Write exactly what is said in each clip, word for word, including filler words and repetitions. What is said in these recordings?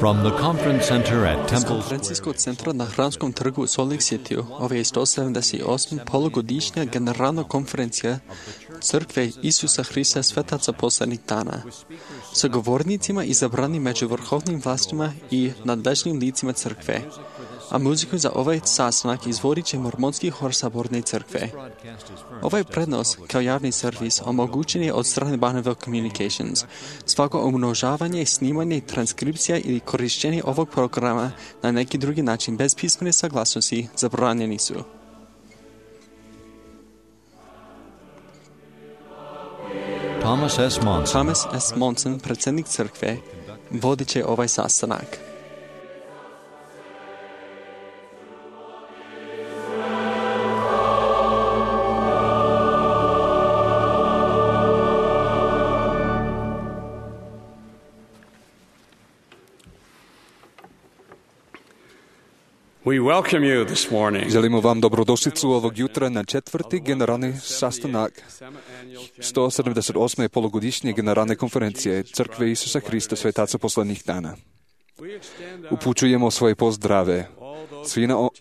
From the conference center at Iz Temple konferencijskog centra na Hramskom trgu u Salt Lake City ova je sto sedamdeset osma polugodišnja generalna konferencija Crkve Isusa Hrista Svetaca poslednjih dana sa govornicima izabrani među vrhovnim vlastima i nadležnim licima crkve, a muziku za ovaj sastanak izvodit će mormonski hor Saborne crkve. Ovaj prenos kao javni servis omogućen je od strane Bonneville Communications. Svako umnožavanje, snimanje, transkripcija ili korištenje ovog programa na neki drugi način bez pismene saglasnosti zabranjeni su. Thomas S. Monson. Thomas S. Monson, predsjednik crkve, vodit će ovaj sastanak. We welcome you this morning. Želimo vam dobrodošlicu ovog jutra na četvrti generalni sastanak sto sedamdeset osme polugodišnje generalne konferencije Crkve Isusa Hrista Svetaca poslednjih dana. Upućujemo svoje pozdrave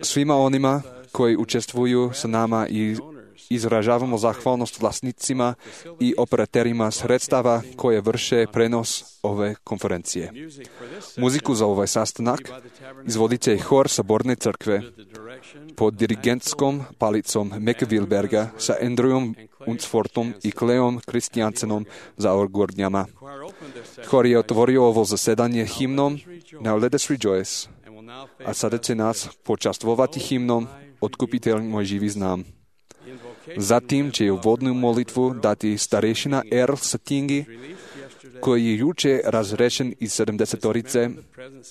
svima onima koji učestvuju sa nama i izražavamo zahvalnost vlasnicima i operaterima sredstava koje vrše prenos ove konferencije. Muziku za ovaj sastanak izvodit će hor Saborne crkve pod dirigentskom palicom Meke Wilberga sa Andrewom Unsfortom i Kleom Kristijansenom za orgordnjama. Hor je otvorio ovo zasedanje himnom Now Let Us Rejoice, a sada će nas počastvovati himnom Otkupitelj moj živi znam. Zatim će uvodnu molitvu dati starešina Earl Satingi, koji je juče razrešen iz sedamdesetorice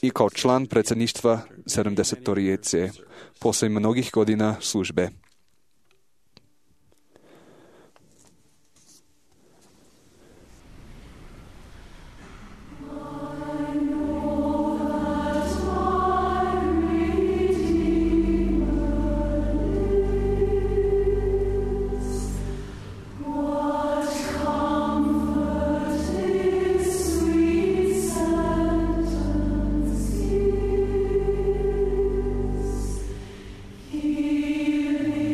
i kao član predsjedništva sedamdesetorice posle mnogih godina službe. He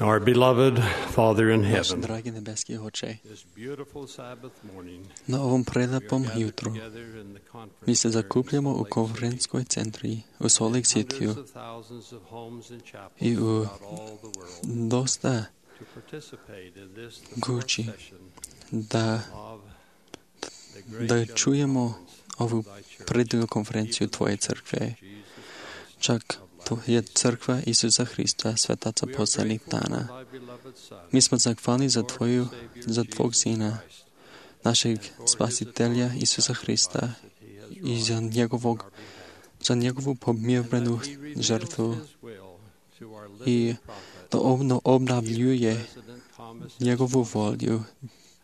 Our beloved Father in Naš heaven, dragi nebeski Oče, this beautiful Sabbath morning, na ovom prelepom jutru together in the conference mi se center in zakupljamo u Salt Lake City, konferenskoj centri u Salt Lake Cityu hundreds of thousands of homes and chapels i u throughout all the world dosta to participate in this the kući fourth session da, of the great da general čujemo conference ovu of thy church, predivnu konferenciju Tvoje crkve, Jesus Christ. čak to je crkva Isusa Hrista, svetaca We are poslednjih grateful for dana. thy beloved Son, Mi smo zahvalni za Lord and Tvoju, Savior za Tvog Jesus Sina, Christ, našeg and for his spasitelja atoning Isusa Hrista sacrifice that he has i za wrought njegovog, on our behalf. za njegovu pomirbrenu And that he reveals žrtvu his will to our i living prophet, da obno obnavljuje President Thomas S. njegovu Monson, volju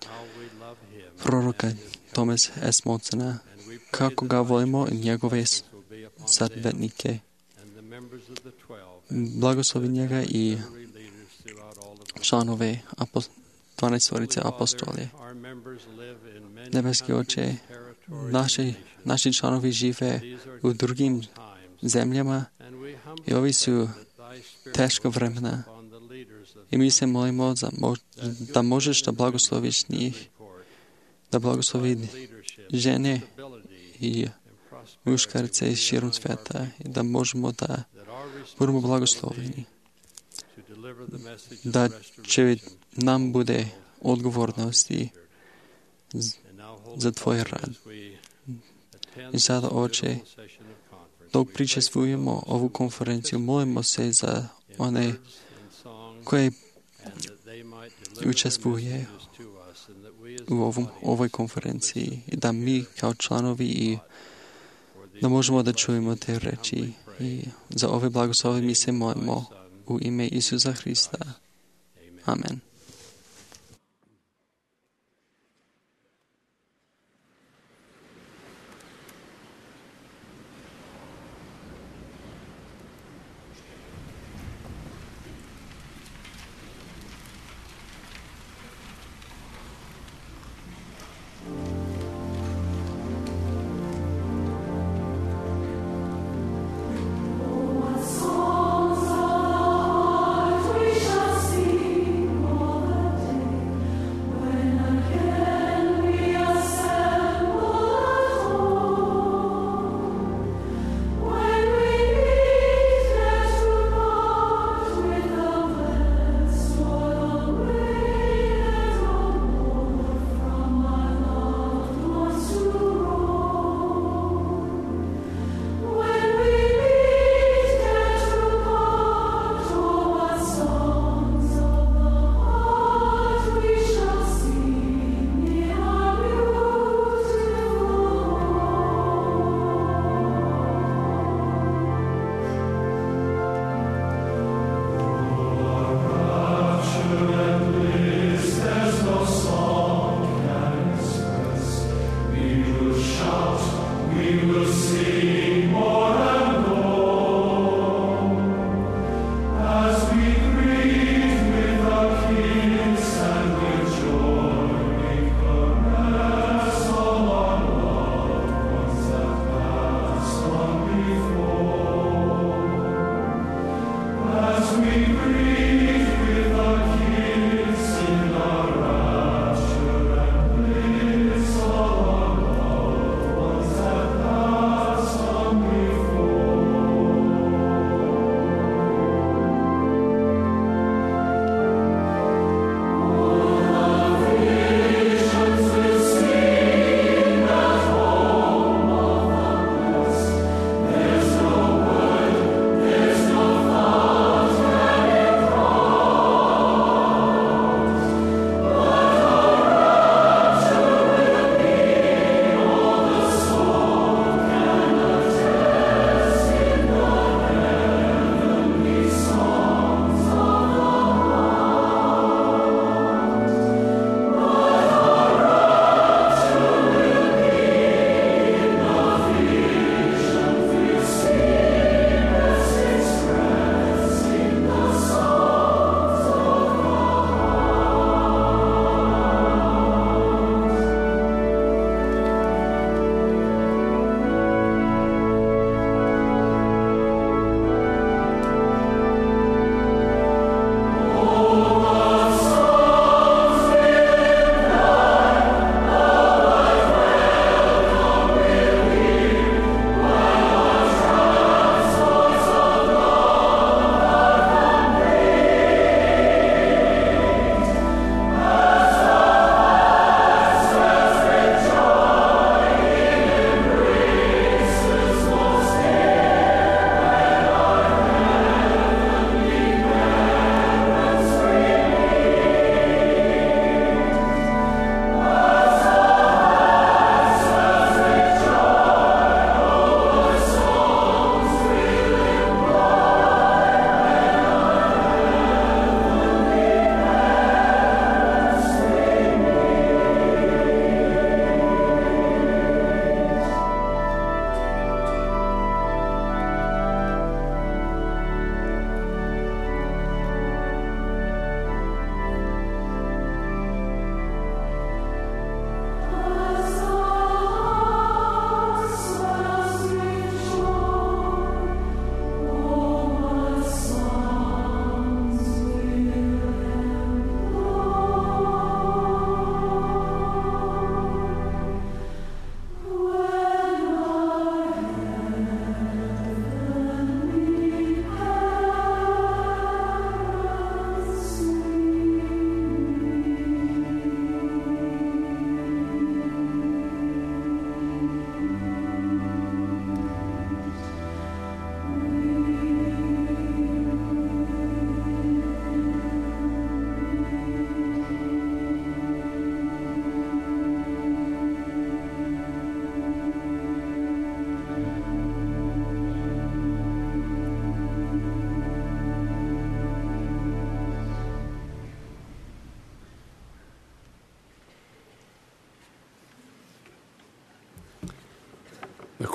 how we love him proroka and his Thomas S. Monsona, And we pray kako that ga thy volimo i choice njegove blessings will be upon them sadvetnike. and the members of the twelve, Blagoslovi njega i seminary leaders throughout all of the članove apos- dvanaestorice Holy Father, apostolje. our members live in many Nebeski Oče, countries, territories, naši, and nations. naši članovi žive These are u drugim difficult times, zemljama and we humbly i ovi pray su that thy spirit teška will rest vremena upon the leaders of i mi se molimo za mo- that da good možeš da men and blagosloviš women njih, report, da blagoslovi provide leadership, žene stability, i and prosperity muškarce will iz be širom among our sveta people, i da možemo da that our budemo responsibility blagosloveni, to deliver the message of da restoration će nam to bude all who odgovornosti are z- And now, Holy za Tvoj Father, rad. as we attend I sada, this Oče, beautiful session of conference, dok we pray pričestvujemo for those ovu who konferenciju, molimo se za participate in one words and songs, koje and that they might deliver their učestvuje messages to us, and that we as u the ovom, audience ovoj can konferenciji listen i da mi kao članovi i for these da možemo da blessings čujemo te we reči humbly pray. i za ove blagoslove mi se In the name of molimo thy Son, u ime Isusa Hrista. Amen. Amen. Songs of heart we shall sing.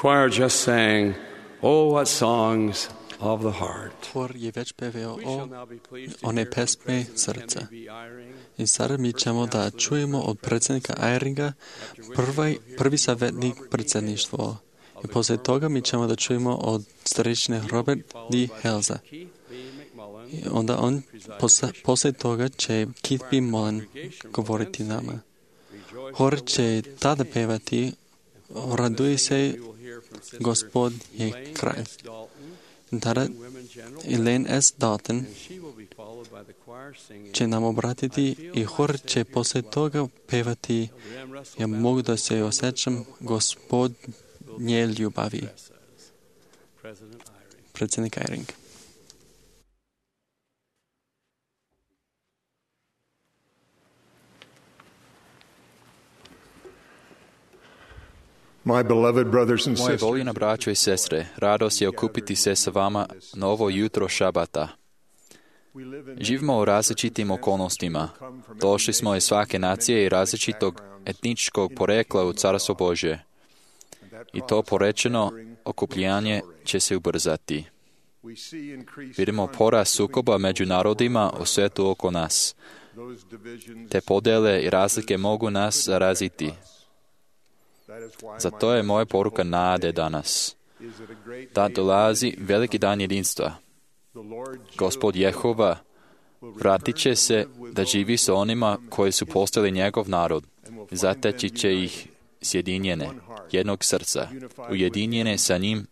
choir just sang, "Oh, what songs of the heart." Хор je već pevao We o shall now be pleased to one hear from pesme President srca. M A B Eyring. I sada mi ćemo da čujemo od predsjednika Eyringa, prvi, prvi savjetnik predsjedništvo. I poslije toga mi ćemo da čujemo od starešine Robert D. Helza. I onda on, posle, poslije toga će Keith B. Mullen govoriti nama. Hor će tada pevati, raduje se, Gospod je kralj. I tada Elaine S. Dalton će nam obratiti i hor će poslije toga pevati, ja mogu da se osjećam, Gospod nje ljubavi. Predsjednik Eyring. My beloved brothers and Moje sisters, voljena braćo i sestre, radost je okupiti se sa vama na ovo jutro šabata. Živimo u različitim okolnostima. Došli smo iz svake nacije i različitog etničkog porekla u Carstvo Božje. I to porečeno okupljanje će se ubrzati. Vidimo porast sukoba među narodima u svetu oko nas. Te podele i razlike mogu nas zaraziti. Zato je moja poruka nade danas. Da dolazi veliki dan jedinstva. Gospod Jehova vratit će se da živi sa onima koji su postali njegov narod. Zateći će ih sjedinjene, jednog srca, ujedinjene sa njim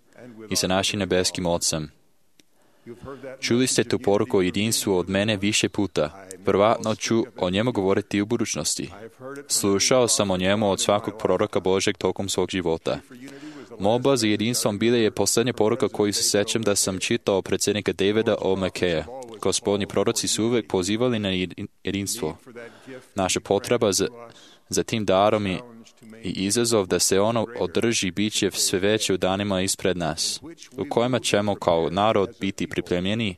i sa našim nebeskim Ocem. Čuli ste tu poruku o jedinstvu od mene više puta. Prvatno ću o njemu govoriti u budućnosti. Slušao sam o njemu od svakog proroka Božeg tokom svog života. Molba za jedinstvom bila je posljednja poruka koju se sećam da sam čitao predsjednika Davida O. McKeya. Gospodnji proroci su uvijek pozivali na jedinstvo. Naša potreba za, za tim darom i, i izazov da se ono održi bit će sve veće u danima ispred nas, u kojima ćemo kao narod biti pripremljeni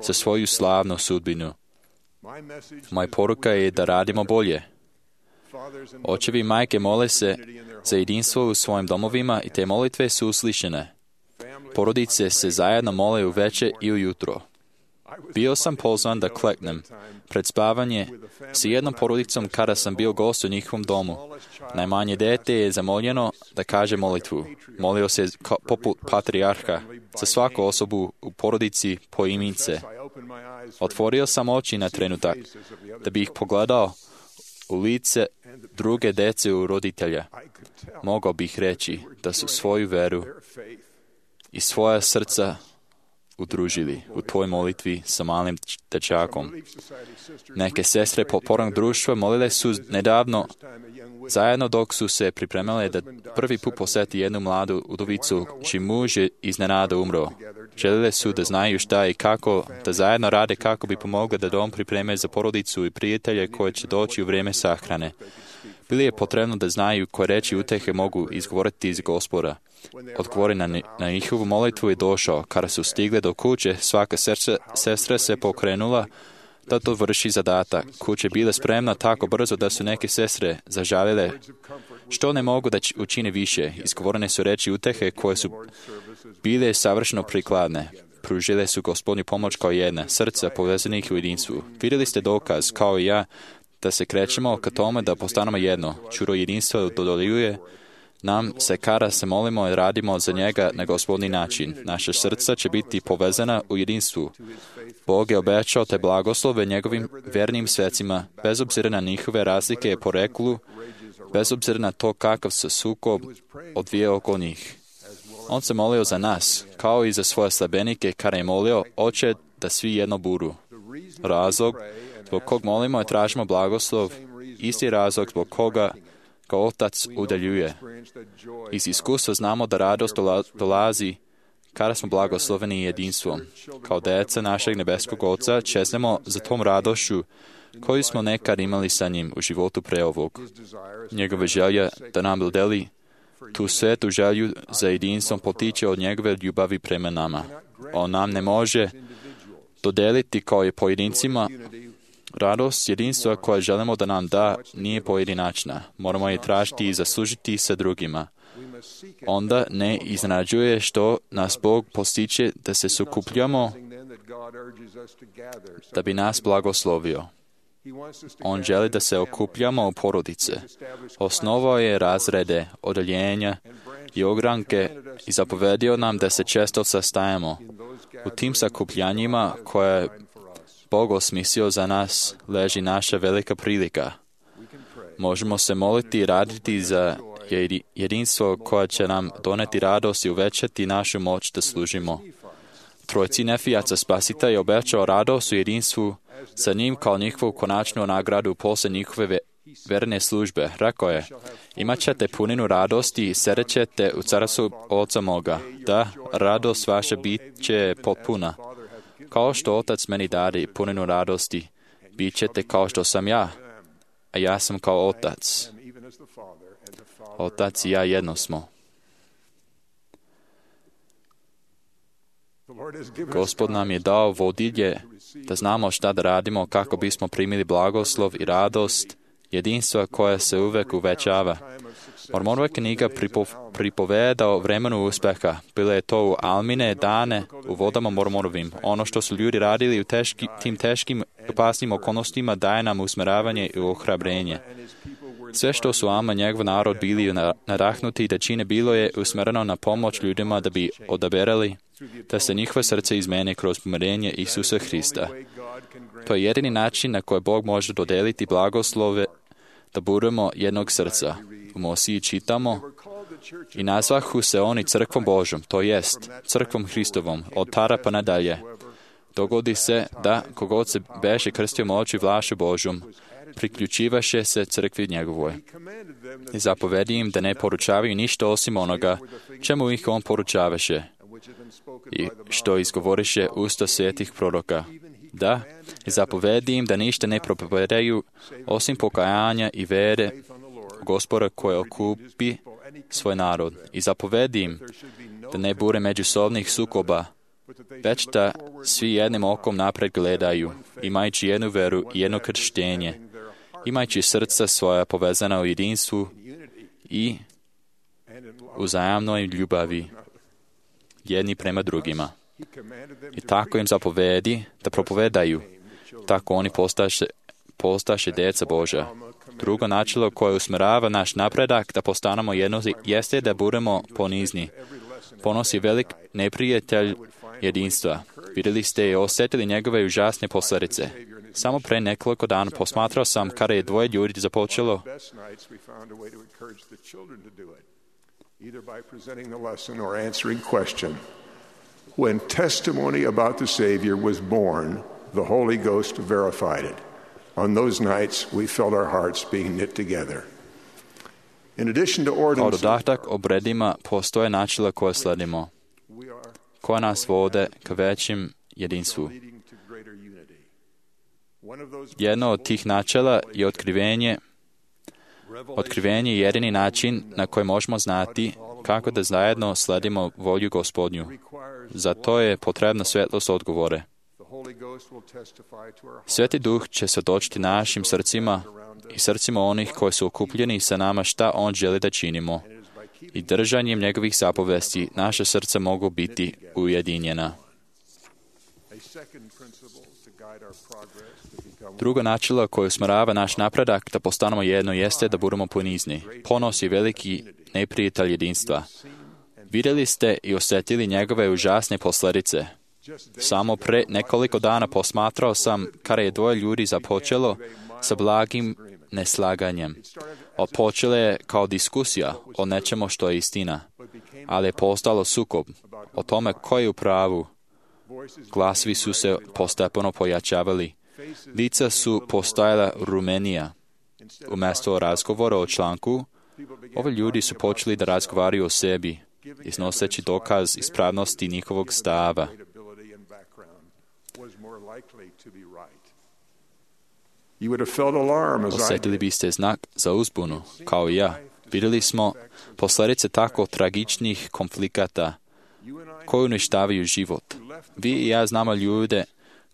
za svoju slavnu sudbinu. Moja poruka je da radimo bolje. Očevi i majke mole se za jedinstvo u svojim domovima i te molitve su uslišene. Porodice se zajedno mole uveče i ujutro. Bio sam pozvan da kleknem pred spavanje s jednom porodicom kada sam bio gost u njihovom domu. Najmanje dete je zamoljeno da kaže molitvu. Molio se poput patrijarha za svaku osobu u porodici po imince. Otvorio sam oči na trenutak da bih pogledao u lice druge dece u roditelja. Mogao bih reći da su svoju veru i svoja srca udružili u toj molitvi sa malim dečakom. Neke sestre popornog društva molile su nedavno zajedno dok su se pripremale da prvi put posjeti jednu mladu udovicu čiji muž je iznenada umro. Želile su da znaju šta i kako, da zajedno rade kako bi pomogli da dom pripreme za porodicu i prijatelje koje će doći u vrijeme sahrane. Bili je potrebno da znaju koje reči utehe mogu izgovoriti iz Gospoda. Odgovor na, na njihovu molitvu je došao. Kada su stigli do kuće, svaka sestra, sestra se pokrenula da to vrši zadatak. Kuća je bila spremna tako brzo da su neke sestre zažalile što ne mogu da učine više. Izgovorene su reči utehe koje su bile savršeno prikladne. Pružile su Gospodnju pomoć kao jedna, srca povezanih u jedinstvu. Vidjeli ste dokaz, kao i ja, da se krećemo ka tome da postanemo jedno. Čuro jedinstva dodeljuje nam se kada se molimo i radimo za njega na Gospodnji način. Naša srca će biti povezana u jedinstvu. Bog je obećao te blagoslove njegovim vernim svecima, bez obzira na njihove razlike i poreklu, bez obzira na to kakav se sukob odvije oko njih. On se molio za nas, kao i za svoje slabenike, kada je molio, Oče, da svi jedno budu. Razlog zbog kog molimo i tražimo blagoslov, isti razlog zbog koga ga Otac udaljuje. Iz iskustva znamo da radost dolazi kada smo blagosloveni jedinstvom. Kao deca našeg nebeskog Oca čeznemo za tom radošću koju smo nekad imali sa njim u životu pre ovog. Njegova želja da nam dodeli tu svetu želju za jedinstvom potiče od njegove ljubavi prema nama. On nam ne može dodeliti kao i pojedincima. Radost jedinstva koja želimo da nam da nije pojedinačna. Moramo je tražiti i zaslužiti sa drugima. onda ne iznenađuje što nas Bog postiče da se sukupljamo da bi nas blagoslovio. On želi da se okupljamo u porodice. Osnovao je razrede, odeljenja i ogranke i zapovedio nam da se često sastajemo. U tim sakupljanjima koje je Bog osmislio za nas leži naša velika prilika. Možemo se moliti i raditi za jedinstvo koje će nam doneti radost i uvećati našu moć da služimo. Trojci Nefijaca Spasitelj je obećao radost u jedinstvu sa njim kao njihovu konačnu nagradu poslije njihove verne službe. Rekao je, imat ćete puninu radosti i srećete u carstvu Oca moga. Da, radost vaša bit će potpuna. Kao što Otac meni dade puninu radosti, bit ćete kao što sam ja, a ja sam kao Otac. Otac i ja jedno smo. Gospod nam je dao vodilje da znamo šta da radimo kako bismo primili blagoslov i radost, jedinstva koja se uvek uvećava. Mormonova knjiga pripoveda o vremenu uspeha. Bilo je to u Almine dane u vodama Mormonovim. Ono što su ljudi radili u teški, tim teškim opasnim okolnostima daje nam usmeravanje i ohrabrenje. Sve što su Alma i njegov narod bili nadahnuti da čine bilo je usmereno na pomoć ljudima da bi odaberali da se njihove srce izmene kroz pomirenje Isusa Hrista. To je jedini način na koji Bog može dodeliti blagoslove da budemo jednog srca. U Mosiji čitamo i nazvahu se oni crkvom Božom, to jest crkvom Hristovom, od tada pa nadalje. Dogodi se da kogod se beše krstio moći vlašu Božom, priključivaše se crkvi njegovoj. I zapovedi im da ne poručavaju ništa osim onoga čemu ih on poručavaše i što izgovoriše usta svetih proroka. Da, i zapovedi im da ništa ne propovedaju osim pokajanja i vere Gospoda koje okupi svoj narod. I zapovedi im da ne bude međusobnih sukoba, već da svi jednim okom napred gledaju, imajući jednu veru i jedno krštenje, imajući srca svoja povezana u jedinstvu i uzajamnoj ljubavi jedni prema drugima. I tako im zapovedi da propovedaju, tako oni postaše, postaše djeca Božja. Drugo načelo koje usmerava naš napredak da postanemo jedno jeste da budemo ponizni. Ponos je velik neprijatelj jedinstva. Vidjeli ste i osjetili njegove užasne posljedice. Samo pre nekoliko dana posmatrao sam kada je dvoje ljudi započelo When testimony about the Savior was born, the Holy Ghost verified it. On those nights, we felt our hearts being knit together. In addition to Kao ordinances, dodatak obredima postoje načela koje sledimo, koja nas vode ka većim jedinstvu. Jedno od tih načela je otkrivenje. Otkrivenje je jedini način na koji možemo znati kako da zajedno sledimo volju Gospodnju. Za to je potrebna svetlost odgovore. Sveti Duh će svjedočiti našim srcima i srcima onih koji su okupljeni sa nama šta On želi da činimo. I držanjem njegovih zapovesti naše srca mogu biti ujedinjena. Drugo načelo koje usmjerava naš napredak da postanemo jedno jeste da budemo ponizni. Ponos je veliki neprijatelj jedinstva. Vidjeli ste i osjetili njegove užasne posljedice. Samo pre nekoliko dana posmatrao sam kada je dvoje ljudi započelo sa blagim neslaganjem. Odpočele je kao diskusija o nečemu što je istina, ali je postalo sukob o tome ko je u pravu. Glasovi su se postepeno pojačavali. Lica su postajala rumenija. Umjesto razgovora o članku, ovi ljudi su počeli da razgovaraju o sebi, iznoseći dokaz ispravnosti njihovog stava. Osjetili biste znak za uzbunu, kao i ja. Vidjeli smo posljedice tako tragičnih konflikata koji uništavaju život. Vi i ja znamo ljude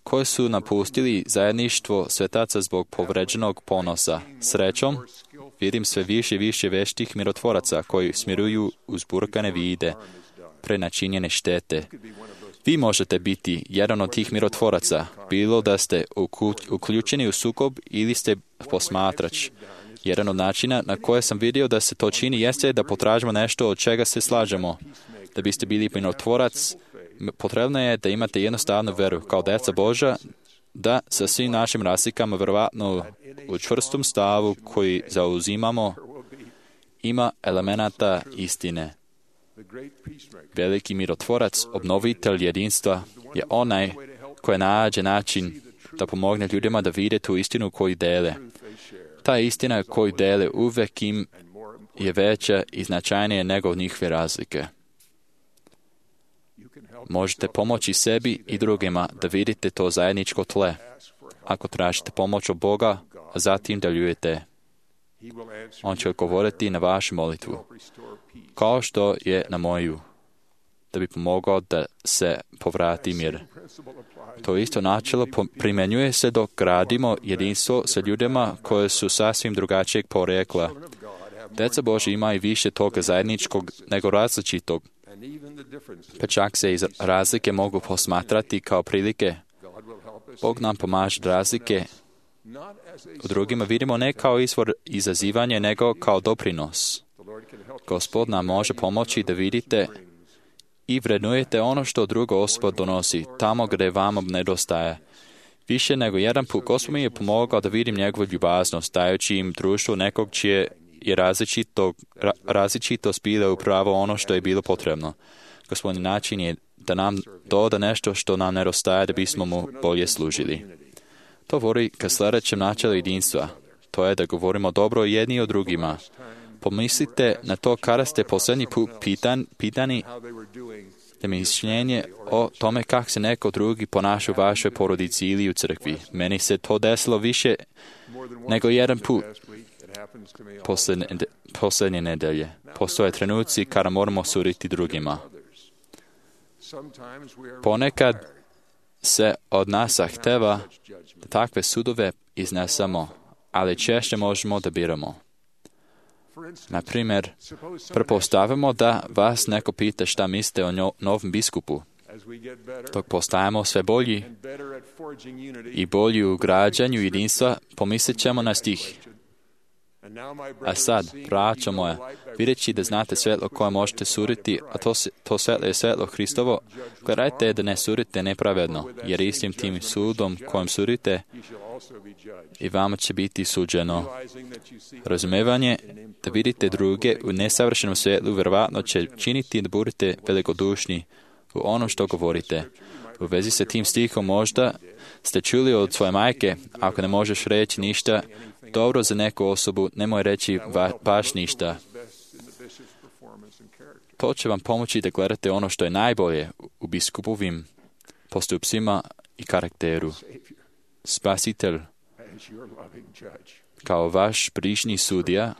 koji su napustili zajedništvo svetaca zbog povređenog ponosa. Srećom, vidim sve više i više veštih mirotvoraca koji smiruju uzburkane vide, prenačinjene štete. Vi možete biti jedan od tih mirotvoraca, bilo da ste uključeni u sukob ili ste posmatrač. Jedan od načina na koje sam vidio da se to čini jeste da potražimo nešto od čega se slažemo. Da biste bili mirotvorac, potrebno je da imate jednostavnu veru kao djeca Božja, da sa svim našim razlikama verovatno u čvrstom stavu koji zauzimamo ima elemenata istine. Veliki mirotvorac, obnovitelj jedinstva, je onaj koji nađe način da pomogne ljudima da vide tu istinu koju dele. Ta istina koju dele uvek im je veća i značajnija nego njihove razlike. Možete pomoći sebi i drugima da vidite to zajedničko tle, ako tražite pomoć od Boga, a zatim da ljujete. On će odgovoriti na vašu molitvu, kao što je na moju, da bi pomogao da se povrati mir. To isto načelo primjenjuje se dok gradimo jedinstvo sa ljudima koje su sasvim drugačijeg porekla. Djeca Božja ima i više toga zajedničkog nego različitog, pa čak se iz razlike mogu posmatrati kao prilike. Bog nam pomaže razlike u drugima vidimo ne kao izvor izazivanja, nego kao doprinos. Gospod nam može pomoći da vidite i vrednujete ono što druga osoba donosi, tamo gdje vama nedostaje. Više nego jedan put Gospod mi je pomogao da vidim njegovu ljubaznost, dajući im društvo nekog čije je različito, ra, različitost bila upravo ono što je bilo potrebno. Gospodin način je da nam doda nešto što nam nedostaje da bismo mu bolje služili. To vodi ka sljedećem načelu jedinstva. To je da govorimo dobro jedni o drugima. Pomislite na to kada ste posljednji put pitan, pitani da mišljenje o tome kako se neko drugi ponaša u vašoj porodici ili u crkvi. Meni se to desilo više nego jedan put posljednje, posljednje nedelje. Postoje trenuci kada moramo suditi drugima. Ponekad se od nas zahteva da takve sudove iznesemo, ali češće možemo da biramo. Na primjer, pretpostavimo da vas neko pita šta mislite o njo, novom biskupu. Dok postajemo sve bolji i bolji u građanju jedinstva, pomislit ćemo na stih. A sad, braćo moje, vidjeći da znate svetlo koje možete suriti, a to, to svetlo je svetlo Hristovo, gledajte da ne surite nepravedno, jer istim tim sudom kojim surite i vama će biti suđeno. Razumevanje da vidite druge u nesavršenom svetlu vjerovatno će činiti da budete velikodušni u ono što govorite. U vezi sa tim stihom možda ste čuli od svoje majke, ako ne možeš reći ništa dobro za neku osobu, nemoj reći va, baš ništa. To će vam pomoći da gledate ono što je najbolje u biskupovim postupcima i karakteru. Spasitelj, kao vaš brižni sudija,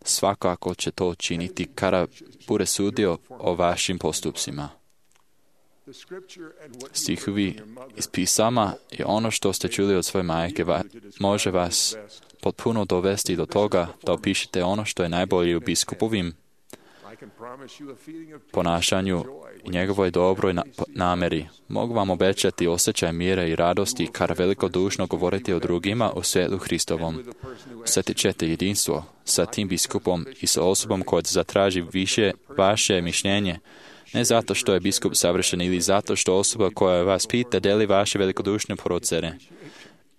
svakako će to činiti kada bude sudio o vašim postupcima. Stihovi iz pisama i ono što ste čuli od svoje majke va, može vas potpuno dovesti do toga da opišete ono što je najbolje u biskupovim ponašanju i njegovoj dobroj nameri. Mogu vam obećati osjećaj mira i radosti kada velikodušno govorite o drugima u svjetlu Hristovom. Osjetit ćete jedinstvo sa tim biskupom i sa osobom koja zatraži više vaše mišljenje, ne zato što je biskup savršen ili zato što osoba koja vas pita deli vaše velikodušne procene.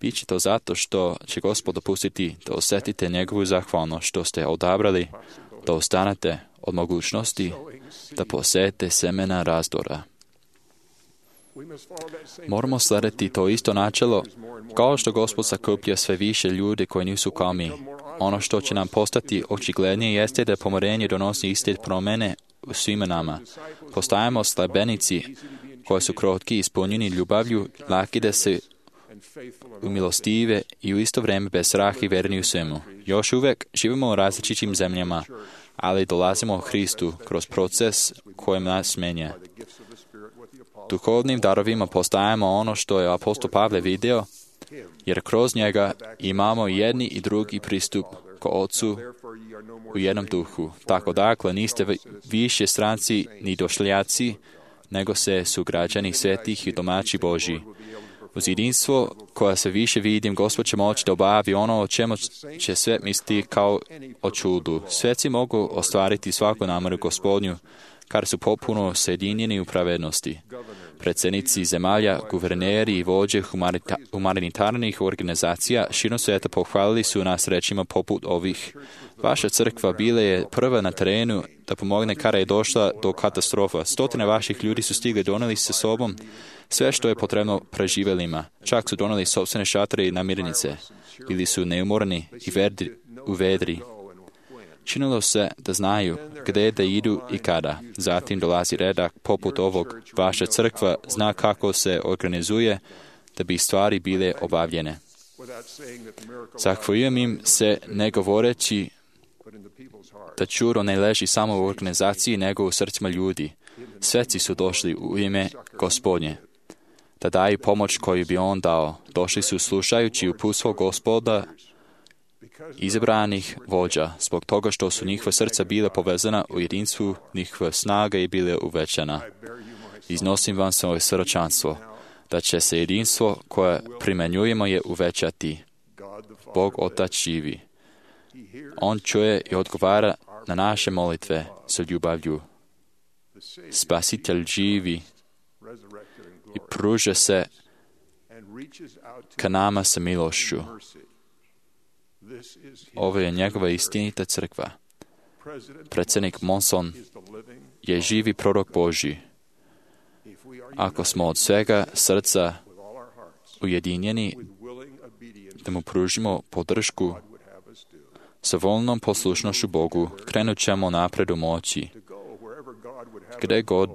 Biće to zato što će Gospod dopustiti da osjetite njegovu zahvalnost što ste odabrali da ostanete od mogućnosti da posejete semena razdora. Moramo slediti to isto načelo, kao što Gospod sakuplja sve više ljudi koji nisu kao mi. Ono što će nam postati očiglednije jeste da pomirenje donosi iste promjene u svima nama. Postajemo slabenici koji su krotki, ispunjeni ljubavlju, laki da se umilostive i u isto vrijeme bez straha i verni u svemu. Još uvijek živimo u različitim zemljama, ali dolazimo u Hristu kroz proces kojem nas menja. Duhovnim darovima postajemo ono što je apostol Pavle vidio, jer kroz njega imamo jedni i drugi pristup ko Otcu u jednom duhu. Tako dakle, niste više stranci ni došljaci, nego se su građani svetih i domaći Božji. Uz jedinstvo koja se više vidim, Gospod će moći da obavi ono o čemu će sve misliti kao o čudu. Sveci mogu ostvariti svaku nameru Gospodnju, kar su popuno sjedinjeni u pravednosti. Predsjednici zemalja, guverneri i vođe humanita- humanitarnih organizacija širom svijeta pohvalili su nas rečima poput ovih. Vaša crkva bila je prva na terenu da pomogne kada je došla do katastrofa. Stotine vaših ljudi su stigli doneli sa sobom sve što je potrebno preživjelima. Čak su doneli sopstvene šatore i namirnice. Bili su neumorni i vedri, u vedri. Činilo se da znaju gdje da idu i kada. Zatim dolazi redak poput ovog. Vaša crkva zna kako se organizuje da bi stvari bile obavljene. Zahvaljujem im se ne govoreći da čudo ne leži samo u organizaciji nego u srcima ljudi. Sveci su došli u ime Gospodnje da daju pomoć koju bi on dao. Došli su slušajući uputstvo Gospoda izabranih vođa, zbog toga što su njihova srca bila povezana u jedinstvu, njihova snaga je bila uvećana. Iznosim vam svoje srčanstvo, da će se jedinstvo koje primjenjujemo je uvećati. Bog Otac živi. On čuje i odgovara na naše molitve sa ljubavlju. Spasitelj živi i pruža se ka nama sa milošću. Ovo je njegova istinita crkva. Predsjednik Monson je živi prorok Božji. Ako smo od svega srca ujedinjeni da mu pružimo podršku sa voljnom poslušnošću Bogu, krenut ćemo napred u moći. Gde god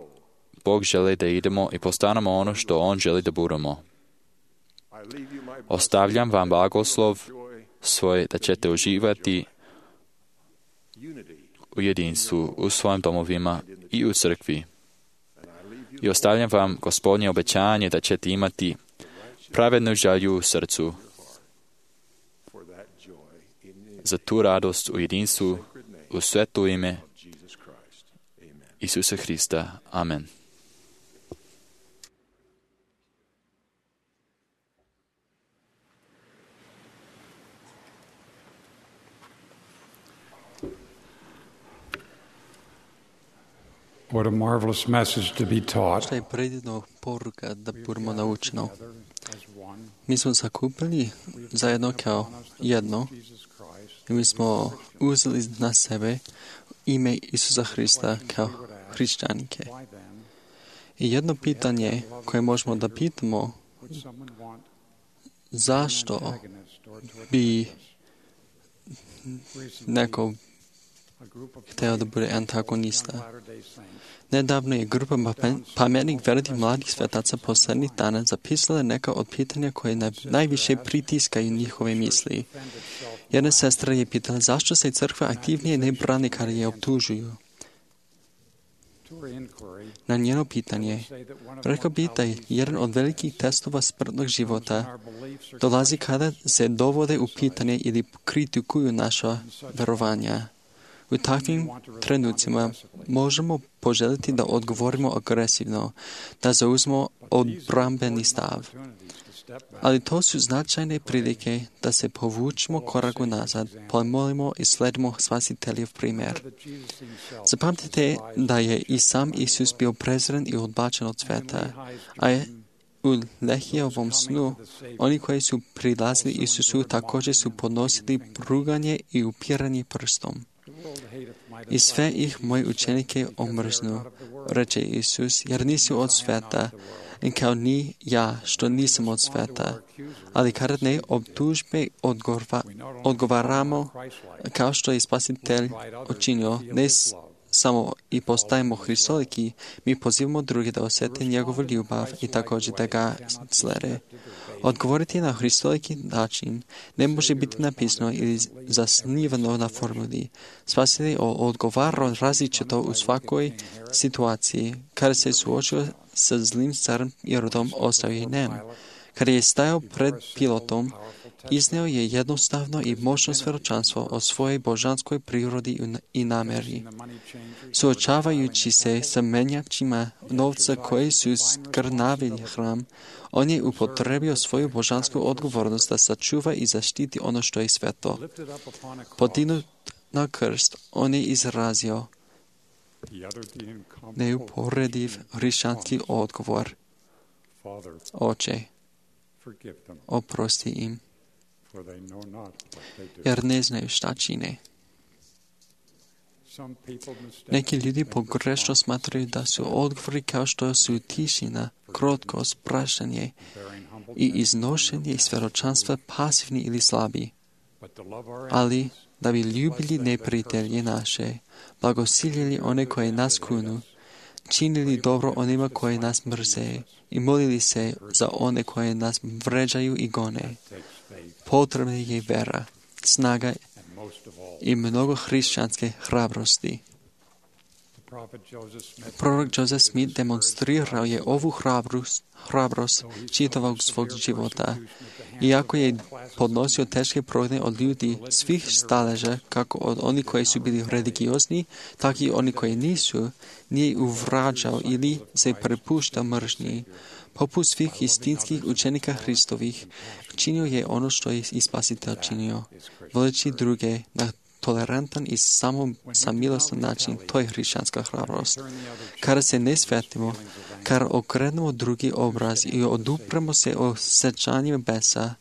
Bog želi da idemo i postanemo ono što On želi da budemo. Ostavljam vam blagoslov svoj da ćete uživati u jedinstvu, u svojim domovima i u crkvi. I ostavljam vam Gospodnje obećanje da ćete imati pravednu želju u srcu za tu radost u jedinstvu u sveto ime Isusa Hrista. Amen. What a marvelous message to be taught. Šta je predivna poruka da budemo naučeno. Mi smo sakupili zajedno kao jedno i mi smo uzeli na sebe ime Isusa Hrista kao hrišćanike. I jedno pitanje koje možemo da pitamo, zašto bi neko hteo da bude antagonista. Nedavno je grupa pametnih velikih mladih svetaca poslednjih dana zapisala neka od pitanja koje najviše pritiskaju njihove misli. Jedna sestra je pitala zašto se crkva aktivnije ne brani kada je optužuju. Na njeno pitanje rekao bi da je jedan od velikih testova smrtnog života dolazi kada se dovode u pitanje ili kritikuju naša verovanja. U takvim trenucima možemo poželjeti da odgovorimo agresivno, da zauzmemo odbrambeni stav. Ali to su značajne prilike da se povučemo koraku nazad, pomolimo i sledimo Spasiteljev primjer. Zapamtite da je i sam Isus bio prezren i odbačen od sveta, a je u Lehijevom snu oni koji su prilazili Isusu također su podnosili ruganje i upiranje prstom. I sve ih moji učenike omrznu, reče Isus, jer nisu od sveta, i kao ni ja, što nisam od sveta. Ali kada ne optužbe odgova, odgovaramo, kao što je Spasitelj učinio, ne samo i postajemo hristoliki, mi pozivamo druge da osjete njegovu ljubav i također da ga slede. Odgovoriti na hristoliki način ne može biti napisano ili zasnivano na formuli. Spasitelj odgovara različito u svakoj situaciji. Kada se suočio sa zlim carom Irodom, ostavio je nem. Kada je stajao pred Pilatom izneo je jednostavno i moćno svjedočanstvo o svojoj božanskoj prirodi i nameri. Suočavajući se sa menjačima novca koji su skrnavili hram, on je upotrebio svoju božansku odgovornost da sačuva i zaštiti ono što je sveto. Podignut na krst, on je izrazio neuporediv hrišćanski odgovor. Oče, oprosti im, jer ne znaju šta čine. Neki ljudi pogrešno smatraju da su odgovori kao što su tišina, krotkost, praštanje i iznošenje svjedočanstva pasivni ili slabi. Ali da bi ljubili neprijatelje naše, blagosiljeli one koje nas kunu, činili dobro onima koje nas mrze i molili se za one koje nas vređaju i gone. Potrebna je vera, snaga i mnogo hrišćanske hrabrosti. Prorok Joseph Smith demonstrirao je ovu hrabrost, hrabrost čitavog svog života. Iako je podnosio teške progone od ljudi svih staleža, kako od onih koji su bili religiozni, tako i oni koji nisu, nije uvrađao ili se prepuštao mržnji. Poput svih istinskih učenika Hristovih, činio je ono što je i Spasitelj činio, voleći druge na tolerantan i samo samilostan način. To je hrišćanska hrabrost. Kada se ne svetimo, kada okrenemo drugi obraz i odupremo se o sjećanjima besa,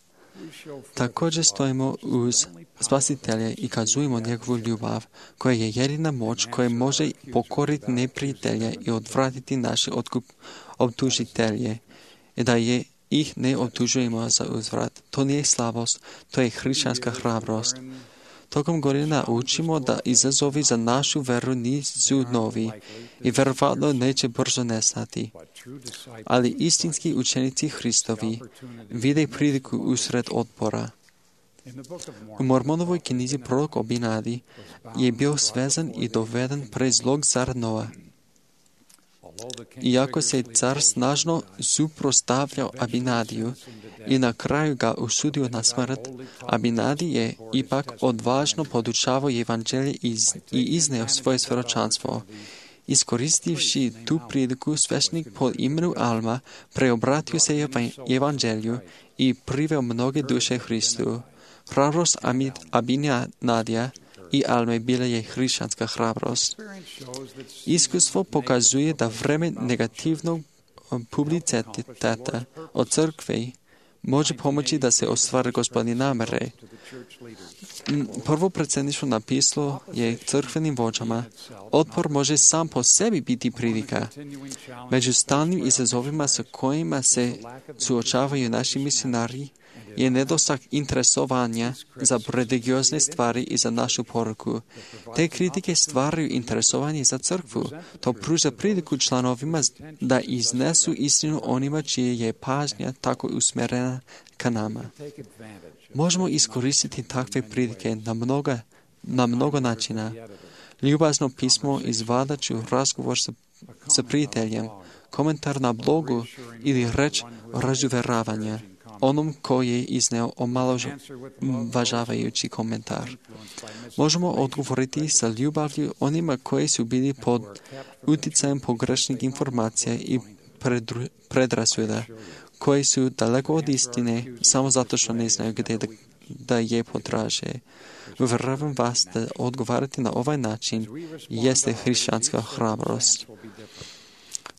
također stojimo uz Spasitelja i kazujemo njegovu ljubav, koja je jedina moć koja može pokoriti neprijatelje i odvratiti naše otkup optužitelje, i da je ih ne optužujemo za uzvrat. To nije slabost, to je hrišćanska hrabrost. Tokom godina učimo da izazovi za našu veru nisu novi i verovatno neće brzo nestati. Ali istinski učenici Hristovi vide priliku usred otpora. U Mormonovoj knjizi prorok Abinadi je bio svezan i doveden pred zlog cara Noa. Iako se car snažno suprotstavljao Abinadiju i na kraju ga osudio na smrt, Abinadi je ipak odvažno podučavao evanđelje i izneo svoje svjedočanstvo. Iskoristivši tu priliku, svešnik pod imenom Alma preobratio se evanđelju i priveo mnoge duše Hristu. Hrabrost Abinadija i Alme bila je hrišćanska hrabrost. Iskustvo pokazuje da vreme negativnog publiciteta od crkve može pomoći da se ostvari Gospodine namere. Prvo predsjedništvo napisalo je crkvenim vođama: otpor može sam po sebi biti prilika. Među stalnim izazovima sa kojima se suočavaju naši misionari je nedostatak interesovanja za religiozne stvari i za našu poruku. Te kritike stvaraju interesovanje za crkvu. To pruža priliku članovima da iznesu istinu onima čije je pažnja tako usmjerena ka nama. Možemo iskoristiti takve prilike na mnogo, na mnogo načina. Ljubazno pismo izvadaću razgovor sa, sa prijateljem, komentar na blogu ili reč razuvjeravanja onom koji je izneo omalovažavajući komentar. Možemo odgovoriti sa ljubavlju onima koji su bili pod utjecajem pogrešnih informacija i predru, predrasuda, koji su daleko od istine samo zato što ne znaju gdje da, da je potraže. Uvjeravam vas da odgovarati na ovaj način jeste hrišćanska hrabrost.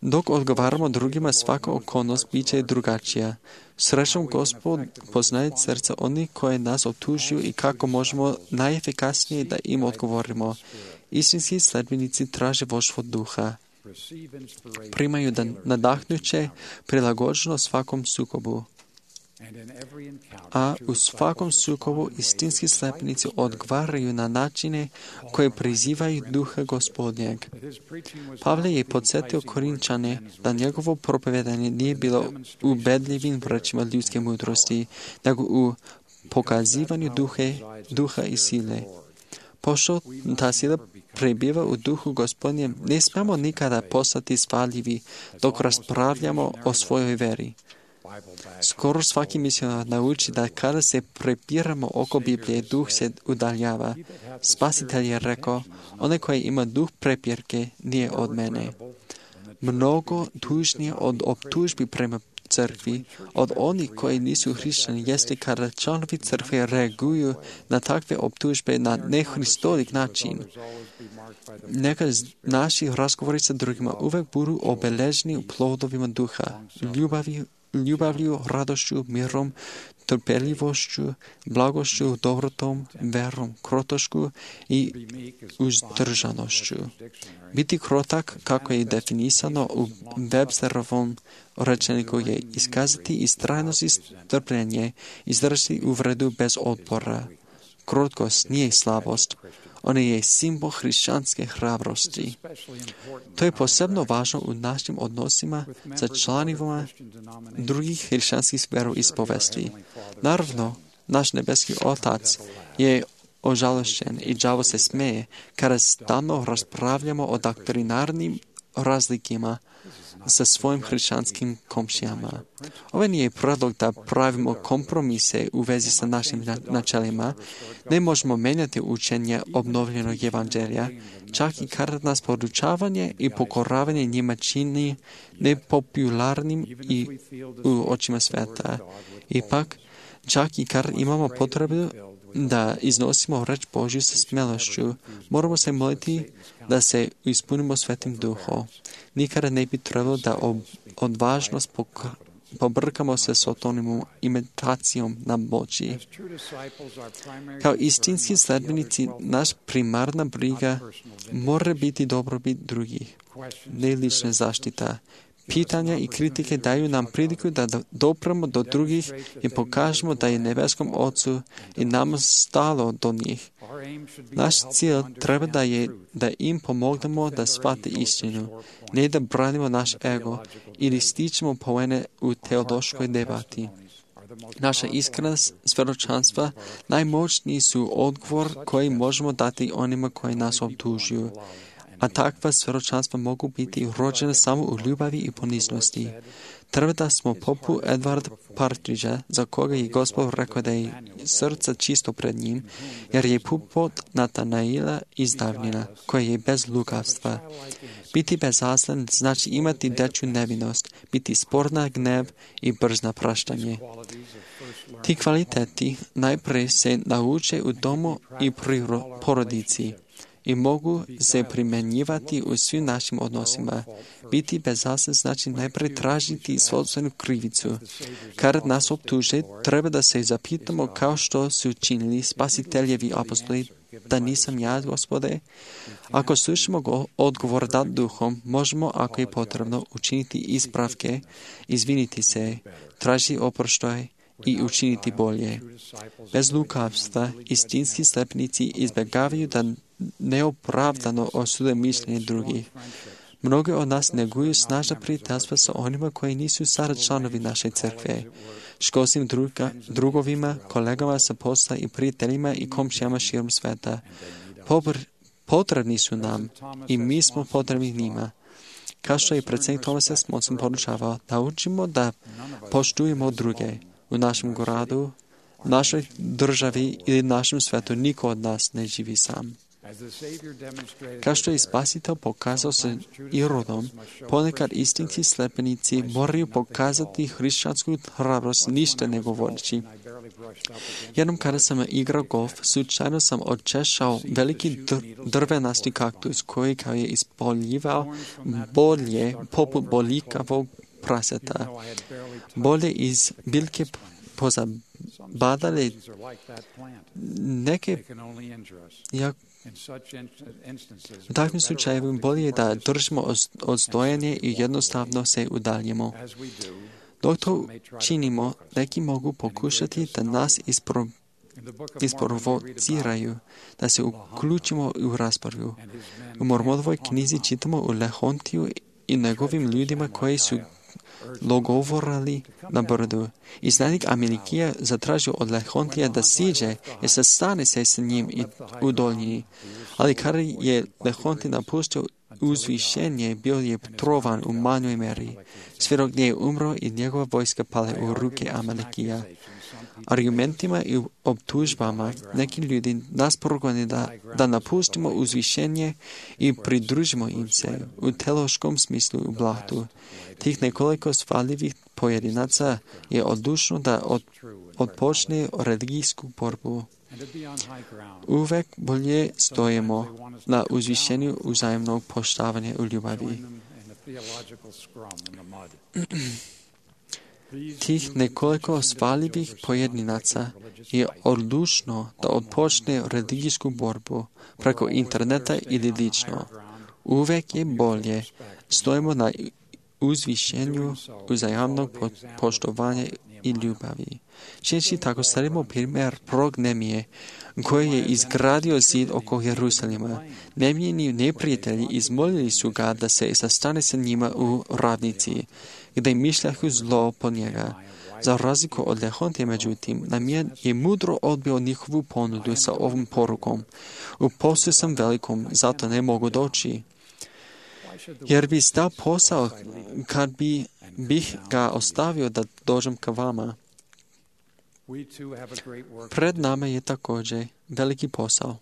Dok odgovaramo drugima, svaka okolnost bit će drugačija. Srećom Gospod poznaje srca onih koje nas optužuju i kako možemo najefikasnije da im odgovorimo. Istinski sledbenici traže vodstvo duha. Primaju da nadahnuće prilagođeno svakom sukobu. A u svakom sukobu istinski sledbenici odgovaraju na načine koje prizivaju duha Gospodnjeg. Pavle je podsjetio Korinčane da njegovo propovedanje nije bilo ubedljivim rečima ljudske mudrosti, nego u pokazivanju duhe, duha i sile. Pošto ta sila prebiva u duhu Gospodnjem, ne smemo nikada postati svaljivi dok raspravljamo o svojoj veri. Skoro svaki misionar nauči da kada se prepiramo oko Biblije, duh se udaljava. Spasitelj je rekao, onaj koji ima duh prepirke nije od mene. Mnogo tužnije od optužbi prema crkvi, od onih koji nisu hrišćani, jeste kada članovi crkve reaguju na takve optužbe na nehristolik način. Neka naši razgovori sa drugima uvek budu obeleženi plodovima duha, ljubavi, ljubavlju, radošću, mirom, trpeljivošću, blagošću, dobrotom, verom, krotošku i uzdržanošću. Biti krotak, kako je definisano u Websterovom rečeniku, je iskazati istrajnost i strpljenje, izdržati uvredu bez otpora. Krotkost nije slabost, ona je simbol hrišćanske hrabrosti. To je posebno važno u našim odnosima sa članovima drugih hrišćanskih veroispovesti. Naravno, naš nebeski Otac je ožalošćen i đavo se smeje kada stalno raspravljamo o doktrinarnim razlikima sa svojim hrišćanskim komšijama. Ovo nije predlog da pravimo kompromise u vezi sa našim načelima. Ne možemo menjati učenje obnovljenog evanđelja, čak i kada nas podučavanje i pokoravanje njima čini nepopularnim i u očima sveta. Ipak, čak i kada imamo potrebu da iznosimo reč Božju sa smelošću, moramo se moliti da se ispunimo Svetim Duhom. Nikada ne bi trebalo da odvažnost pobrkamo se s otonim imitacijom na moći. Kao istinski sledbenici, naš primarna briga mora biti dobrobit drugih, ne lična zaštita. Pitanja i kritike daju nam priliku da dopremo do drugih i pokažemo da je nebeskom Ocu i nama stalo do njih. Naš cilj treba da je da im pomognemo da shvate istinu, ne da branimo naš ego ili stičemo poene u teološkoj debati. Naša iskrena svjedočanstva najmoćniji su odgovor koji možemo dati onima koji nas optužuju, a takva svjedočanstva mogu biti rođene samo u ljubavi i poniznosti. Treba da smo poput Edward Partridgea, za koga je Gospod rekao da je srce čisto pred njim, jer je pupot Natanaila iz davnina, koja je bez lukavstva. Biti bezazlen znači imati dečju nevinost, biti spor na gnev i brz na praštanje. Ti kvaliteti najprije se nauče u domu i pri porodici i mogu se primjenjivati u svim našim odnosima. Biti bezazlen znači najprije tražiti sopstvenu krivicu. Kad nas optuže, treba da se zapitamo kao što su činili spasiteljevi apostoli, da nisam ja, Gospode. Ako slušamo odgovor dat duhom, možemo, ako je potrebno, učiniti ispravke, izviniti se, tražiti oproštaj i učiniti bolje. Bez lukavstva istinski sledbenici izbjegavaju da neopravdano osude mišljenje drugih. Mnogi od nas neguju snažna prijateljstva sa onima koji nisu sada članovi naše crkve. Školskim druga, drugovima, kolegama sa posla i prijateljima i komšijama širom sveta. Pobr, potrebni su nam i mi smo potrebni njima. Kao što je predsjednik Thomas S. Monson poručavao, naučimo da poštujemo druge. U našem gradu, našoj državi ili našem svetu niko od nas ne živi sam. Kao što je Spasitelj pokazao se Irodom, ponekad istinski sledbenici moraju pokazati hrišćansku hrabrost ništa ne govoreći. Jednom kada sam igrao golf, slučajno sam odčešao veliki dr- drvenasti kaktus koji kao je ispoljivao bolje poput bolikavog praseta. Bolje iz biljke pozabadale neke jak u takvim slučajevima bolje je da držimo odstojanje i jednostavno se udaljimo. Dok to činimo, neki mogu pokušati da nas ispro, isprovociraju, da se uključimo u raspravu. U Mormonovoj knjizi čitamo u Lehontiju i njegovim ljudima koji su logovorali na brdu. Iznanik Amelikija zatražio od Lehontija da siđe i sastane se s njim i u doljini. Ali kada je Lehontij napustio uzvišenje bio je trovan u manjoj meri. Sve dok nije umro i njegova vojska pale u ruke Amalekija. Argumentima i optužbama neki ljudi nas progone da, da napustimo uzvišenje i pridružimo im se u teološkom smislu u blatu. Tih nekoliko svaljivih pojedinaca je odlučno da od, odpočne religijsku borbu. Uvek bolje stojimo na uzvišenju uzajemnog poštovanja u ljubavi. Tih nekoliko svaljivih pojedinaca je odlučno da odpočne religijsku borbu preko interneta ili lično. Uvek je bolje stojimo na uzvišenju uzajamnog poštovanja i ljubavi. Češi tako stavimo primjer prorok Nemije, koji je izgradio zid oko Jerusalima. Nemijini neprijatelji izmolili su ga da se sastane sa njima u ravnici, gdje mišljahu zlo po njega. Za razliku od Lehontije, međutim, Namijan je mudro odbio njihovu ponudu sa ovom porukom. U poslu sam velikom, zato ne mogu doći. Jer bi stao posao kad bi bih ga ostavio da dođem ka vama. Pred nama je također veliki posao,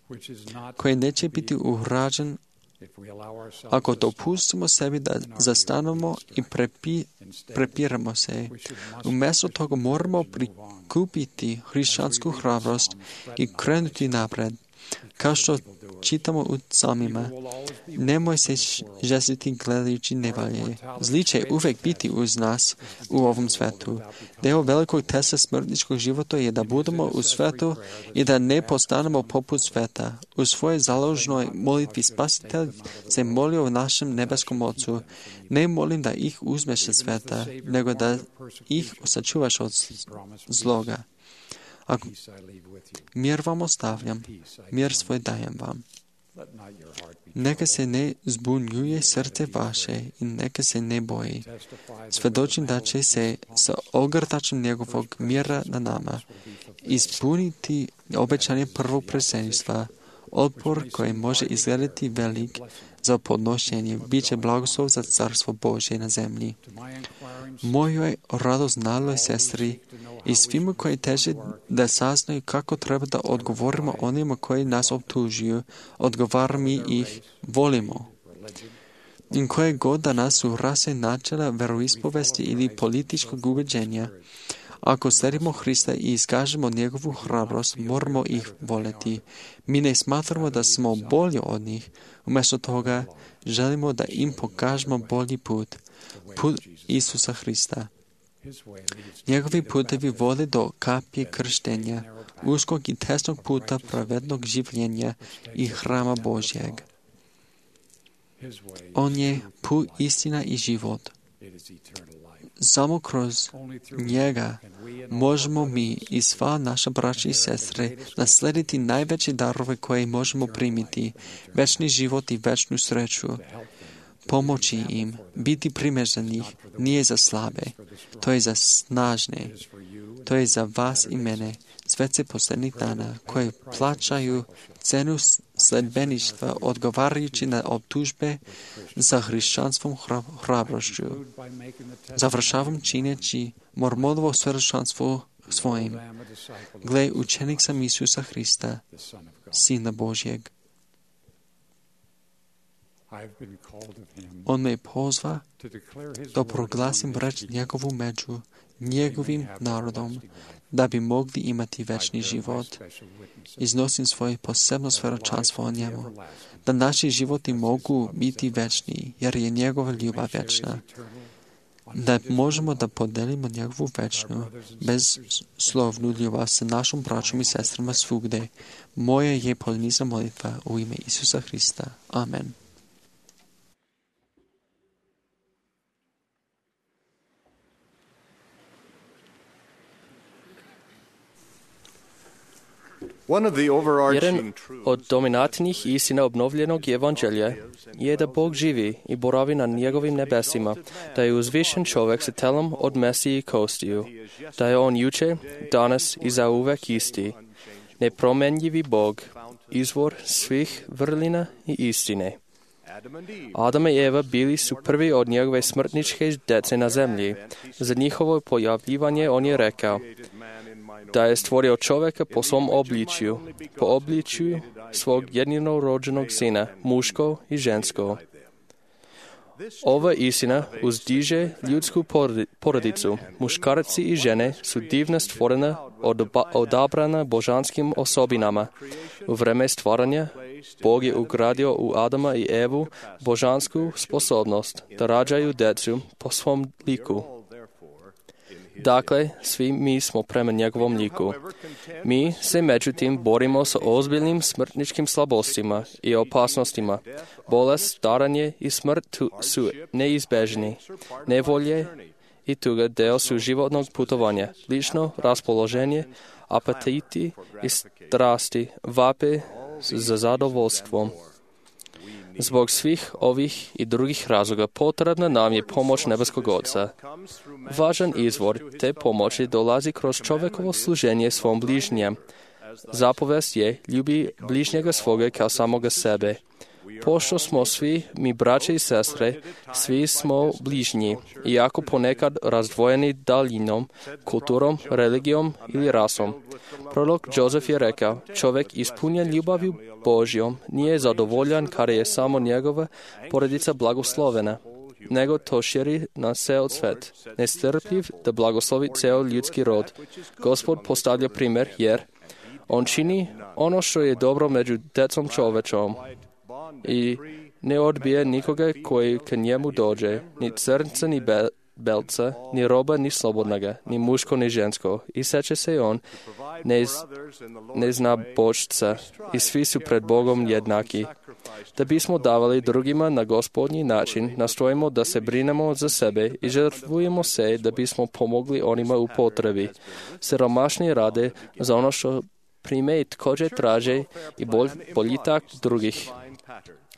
koji neće biti urađen ako dopustimo sebi da zastanemo i prepi, prepiramo se. Umjesto toga moramo prikupiti hrišćansku hrabrost i krenuti napred. Kao što čitamo u psalmima, nemoj se žestiti gledajući nevalje. Zli će uvek biti uz nas u ovom svetu. Deo velikog testa smrtničkog života je da budemo u svetu i da ne postanemo poput sveta. U svojoj založnoj molitvi Spasitelj se molio u našem nebeskom Ocu. Ne molim da ih uzmeš sa sveta, nego da ih sačuvaš od zloga. Ako mir vam ostavljam, mir svoj dajem vam. Neka se ne zbunjuje srce vaše i neka se ne boji. Svedočim da će se sa ogrtačem njegovog mira na nama ispuniti obećanje prvog predsjedništva. Otpor koji može izgledati velik za podnošenje bit će blagoslov za carstvo Božje na zemlji. Mojoj radoznaloj sestri i svima koji teže da saznaju kako treba da odgovorimo onima koji nas optužuju, odgovaram mi ih, volimo. I koje god da nas su rase načela veroispovesti ili političkog ubeđenja, ako sledimo Hrista i iskažemo njegovu hrabrost, moramo ih voleti. Mi ne smatramo da smo bolji od njih. Umjesto toga, želimo da im pokažemo bolji put. Put Isusa Hrista. Njegovi putevi vode do kapije krštenja, uskog i tesnog puta pravednog življenja i hrama Božjeg. On je put, istina i život. Samo kroz njega možemo mi i sva naša braća i sestre naslediti najveće darove koje možemo primiti, večni život i večnu sreću. Pomoći im, biti primjer za njih, nije za slabe, to je za snažne, to je za vas i mene, svece posljednjih dana, koje plaćaju cenu sledbeništva odgovarajući na optužbe za hrišćanstvom hrabrošću. Završavam čineći mormonovo svjedočanstvo svojim. Gle, učenik sam Isusa Hrista, Sina Božjeg. On me pozva da proglasim reč njegovu među njegovim narodom, da bi mogli imati večni život. Iznosim svoje posebno svjedočanstvo o njemu, da naši životi mogu biti večni, jer je njegova ljubav večna. Da možemo da podelimo njegovu večnu, bezslovnu ljubav sa našom braćom i sestrama svugde. Moja je polniza molitva u ime Isusa Hrista. Amen. Jedan od dominantnih istina obnovljenog evanđelja je da Bog živi i boravi na njegovim nebesima, da je uzvišen čovjek sa telom od mesa i kostiju, da je on juče, danas i zauvek isti, nepromenljivi Bog, izvor svih vrlina i istine. Адам i Eva bili su prvi od njegove smrtničke dece na zemlji. Za njihovo pojavljivanje on je rekao da je stvorio čoveka po svom obličju, po obličju svog jedinorođenog sina, muško i žensko. Ova istina uzdiže ljudsku porodicu. Muškarci i žene su divno stvorena, odabrana božanskim osobinama. U vreme stvaranja Bog je ugradio u Adama i Evu božansku sposobnost da rađaju decu po svom liku. Dakle, svi mi smo prema njegovom liku. Mi se međutim borimo sa ozbiljnim smrtničkim slabostima i opasnostima. Bolest, staranje i smrt su neizbežni. Nevolje i tuga deo su životnog putovanja. Lično raspoloženje, apetiti i strasti vape za zadovoljstvom. Zbog svih ovih i drugih razloga potrebna nam je pomoć nebeskog Oca. Važan izvor te pomoći dolazi kroz čovekovo služenje svom bližnjem. Zapovest je ljubi bližnjega svoga kao samoga sebe. Pošto smo svi mi braće i sestre, svi smo bližnji, iako ponekad razdvojeni daljinom, kulturom, religijom ili rasom. Prorok Jozef je rekao, čovjek ispunjen ljubavju Božjom nije zadovoljan kada je samo njegova porodica blagoslovena, nego to širi na ceo svet. Nestrpljiv da blagoslovi ceo ljudski rod. Gospod postavlja primjer jer on čini ono što je dobro među decom čovečom i ne odbije nikoga koji k njemu dođe, ni crnca, ni be, belca, ni roba, ni slobodnaga, ni muško, ni žensko. I seče se on, ne, ne zna božca, i svi su pred Bogom jednaki. Da bismo davali drugima na gospodnji način, nastojimo da se brinemo za sebe i žrtvujemo se da bismo pomogli onima u potrebi. Siromašni rade za ono što prime i također traže i bolj, boljitak drugih.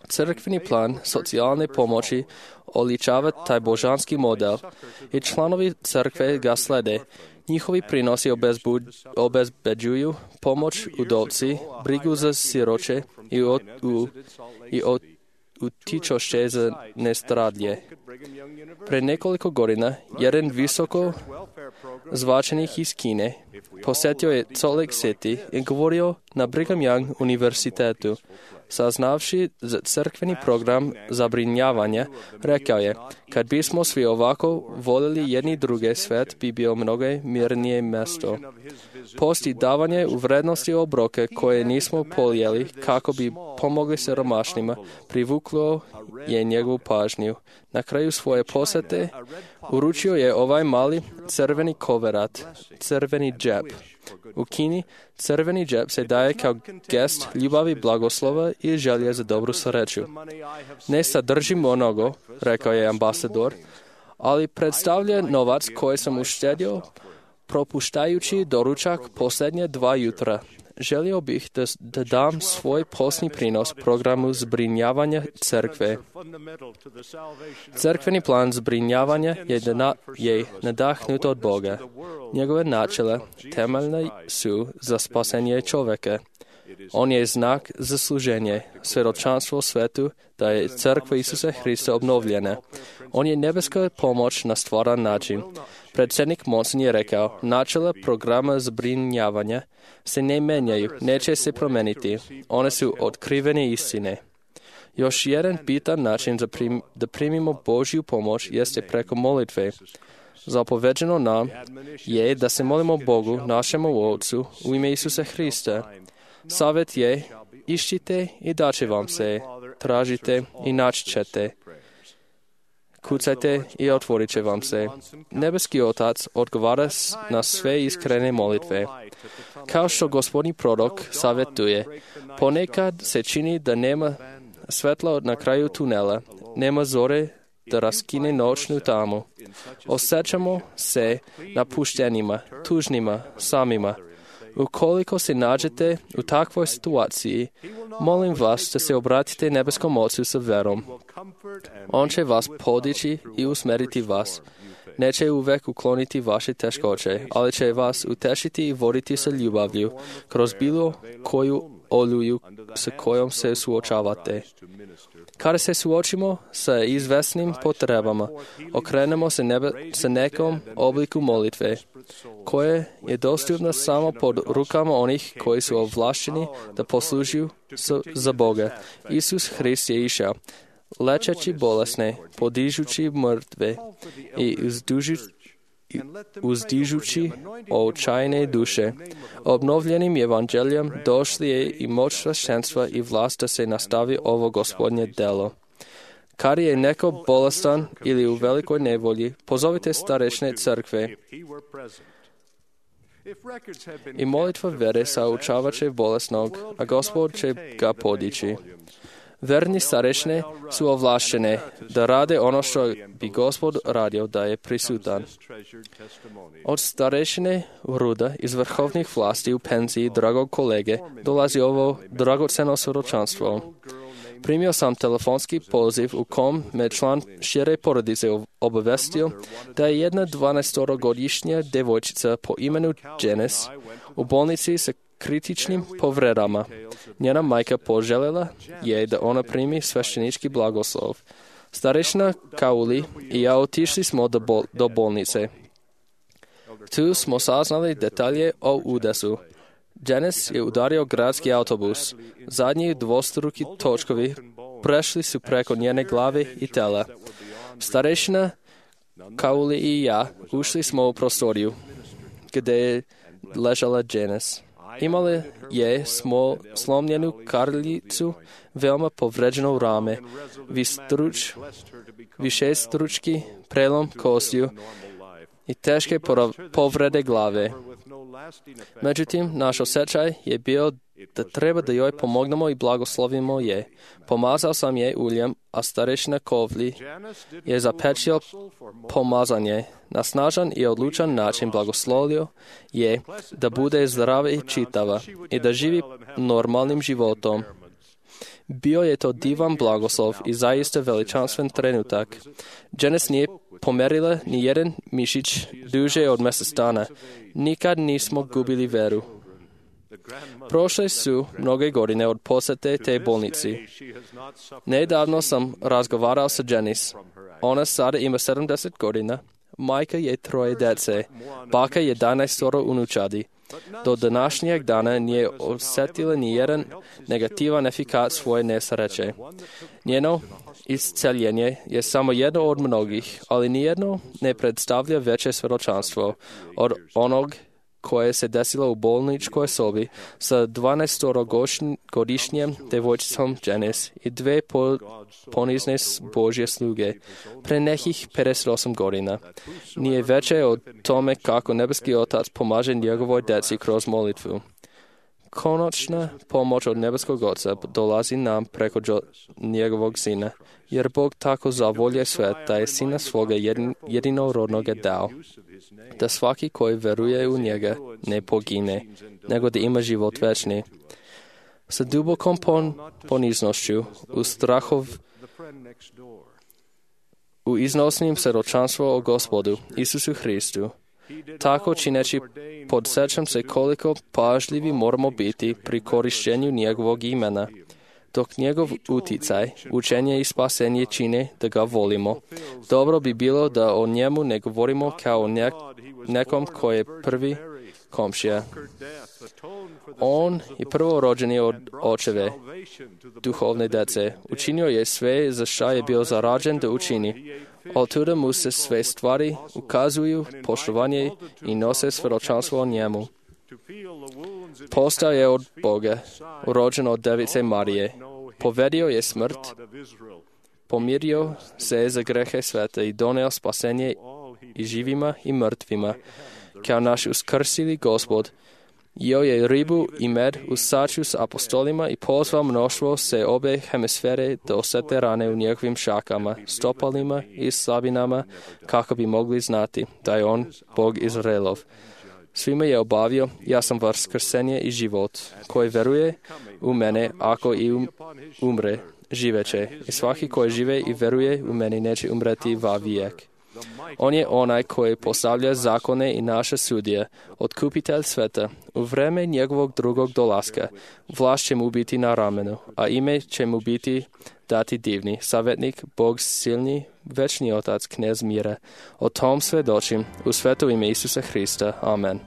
Crkveni plan socijalne pomoći oličava taj božanski model i članovi crkve ga slede. Njihovi prinosi obezbeđuju pomoć udovci, brigu za siroče i, od, u, i od, utičošće za nestradlje. Pre nekoliko godina, jedan visoko zvačenih iz Kine posjetio je Salt Lake City i govorio na Brigham Young univerzitetu. Saznavši za crkveni program zabrinjavanja, rekao je, kad bismo svi ovako volili jedni druge, svet bi bio mnogo mirnije mjesto. Posti davanje u vrednosti obroke koje nismo polijeli kako bi pomogli siromašnima, privuklo je njegovu pažnju. Na kraju svoje posete uručio je ovaj mali crveni koverat, crveni džep. U Kini crveni džep se daje kao gest ljubavi, blagoslova i želje za dobru sreću. Ne sadrži mnogo, rekao je ambasador, ali predstavlja novac koji sam uštedio propuštajući doručak posljednje dva jutra. Želio bih da, da dam svoj posni prinos programu zbrinjavanja crkve. Crkveni plan zbrinjavanja je, na, je nadahnut od Boga. Njegove načela temeljne su za spasenje čovjeka. On je znak za služenje, svjedočanstvo svetu da je crkva Isusa Hrista obnovljena. On je nebeska pomoć na stvaran način. Predsjednik Monson je rekao, načela programa zbrinjavanja se ne menjaju, neće se promeniti. One su otkrivene istine. Još jedan bitan način za prim, da primimo Božju pomoć jeste preko molitve. Zapoveđeno nam je da se molimo Bogu, našemu Otcu, u ime Isusa Hrista. Savjet je, iščite i daće vam se, tražite i naći ćete. Kucajte i otvorit će vam se. Nebeski Otac odgovara na sve iskrene molitve. Kao što gospodin prorok savjetuje, ponekad se čini da nema svetla na kraju tunela, nema zore da raskine noćnu tamu. Osjećamo se napuštenima, tužnima, samima. Ukoliko se nađete u takvoj situaciji, molim vas da se obratite nebeskom Ocu sa verom. On će vas podići i usmeriti vas. Neće uvek ukloniti vaše teškoće, ali će vas utešiti i voditi sa ljubavlju kroz bilo koju oluju s kojom se suočavate. Kada se suočimo sa izvesnim potrebama, okrenemo se nebe sa nekom obliku molitve, koje je dostupno samo pod rukama onih koji su ovlašteni da poslužuju za Boga. Isus Hrist je išao, lečeći bolesne, podižući mrtve i uzdužući uzdižući očajne duše. Obnovljenim evanđeljem došli je i moć sveštenstva i vlast da se nastavi ovo gospodnje delo. Kad je neko bolestan ili u velikoj nevolji, pozovite starešne crkve. I molitva vere saučavat će bolesnog, a Gospod će ga podići. Verni starešne su ovlaštene da rade ono što bi Gospod radio da je prisutan. Od starešine Ruda iz vrhovnih vlasti u penziji dragog kolege dolazi ovo dragoceno svjedočanstvo. Primio sam telefonski poziv u kom me član šire porodice obavestio da je jedna dvanaestogodišnja devojčica po imenu Janice u bolnici sa kritičnim povredama. Njena majka poželjela je da ona primi sveštenički blagoslov. Starešina Kauli i ja otišli smo do, bol- do bolnice. Tu smo saznali detalje o udesu. Janice je udario gradski autobus. Zadnji dvostruki točkovi prešli su preko njene glave i tela. Starešina Kauli i ja ušli smo u prostoriju gdje je ležala Janice. Imala je smo slomljenu karljicu, veoma povređeno rame, vistruč, višestručki prelom kostiju i teške povrede glave. Međutim, naš osjećaj je bio da treba da joj pomognemo i blagoslovimo je. Pomazao sam je uljem, a starešina Kovli je zapečio pomazanje. Na snažan i odlučan način blagoslovio je da bude zdrava i čitava i da živi normalnim životom. Bio je to divan blagoslov i zaista veličanstven trenutak. Janice nije pomerila ni jedan mišić duže od mjesec dana. Nikad nismo gubili veru. Prošle su mnoge godine od posete te bolnici. Nedavno sam razgovarao sa Janice. Ona sada ima sedamdeset godina. Majka je troje djece. Baka je jedanaestoro unučadi. Do današnjeg dana nije osjetila ni jedan negativan efekat svoje nesreće. Njeno isceljenje je samo jedno od mnogih, ali nijedno ne predstavlja veće svjedočanstvo od onog koje se desilo u bolničkoj sobi sa dvanaestogodišnjem devojčicom Janice i dve po, ponizne Božje sluge pre nekih pedeset osam godina. Nije veće od tome kako nebeski Otac pomaže njegovoj djeci kroz molitvu. Konačna pomoć od nebeskog Oca dolazi nam preko njegovog Sina, jer Bog tako zavolje svet da je Sina svoga jedin, jedinorodnoga dao, da svaki koji veruje u njega ne pogine, nego da ima život večni. Sa dubokom pon, poniznošću, u strahov, u iznosnim svjedočanstvo o Gospodu, Isusu Hristu, tako čineći podsjećam se koliko pažljivi moramo biti pri korištenju njegovog imena, dok njegov uticaj, učenje i spasenje čine da ga volimo. Dobro bi bilo da o njemu ne govorimo kao nek, nekom koji je prvi komšija. On je prvorođeni od očeve, duhovne djece. Učinio je sve za šta je bio zarađen da učini. Od tuda mu se sve stvari ukazuju poštovanje i nose svjedočanstvo o njemu. Postao je od Boga, urođen od Device Marije. Povedio je smrt, pomirio se za grehe sveta i doneo spasenje i živima i mrtvima. Kao naš uskrsili Gospod, jeo je ribu i med u saču s apostolima i pozvao mnoštvo se obe hemisfere da osete rane u njegovim šakama, stopalima i slabinama, kako bi mogli znati da je on Bog Izraelov. Svima je obavio, ja sam vaskrsenje i život, koji veruje u mene, ako i um, umre, živeće. I svaki koji žive i veruje u mene neće umreti va vijek. On je onaj koji postavlja zakone i naše sudije, otkupitelj sveta. U vreme njegovog drugog dolaska vlast će mu biti na ramenu, a ime će mu biti dati divni, savjetnik, Bog silni, večni Otac, knez mira. O tom svedočim u sveto ime Isusa Hrista. Amen.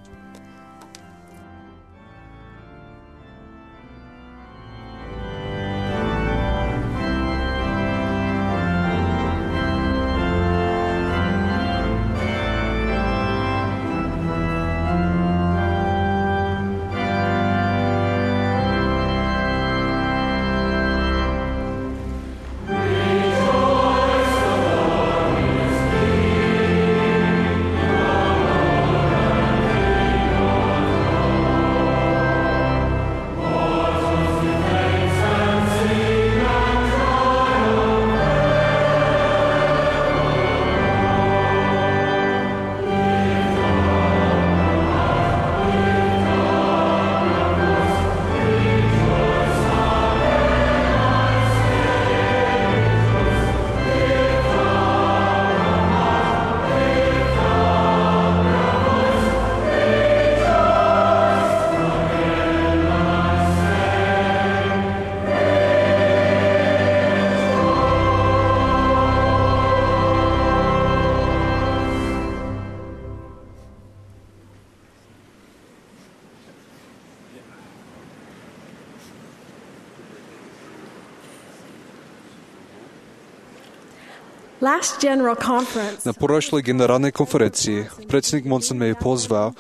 Na prošloj generalnoj konferenciji predsjednik Monson me je pozvao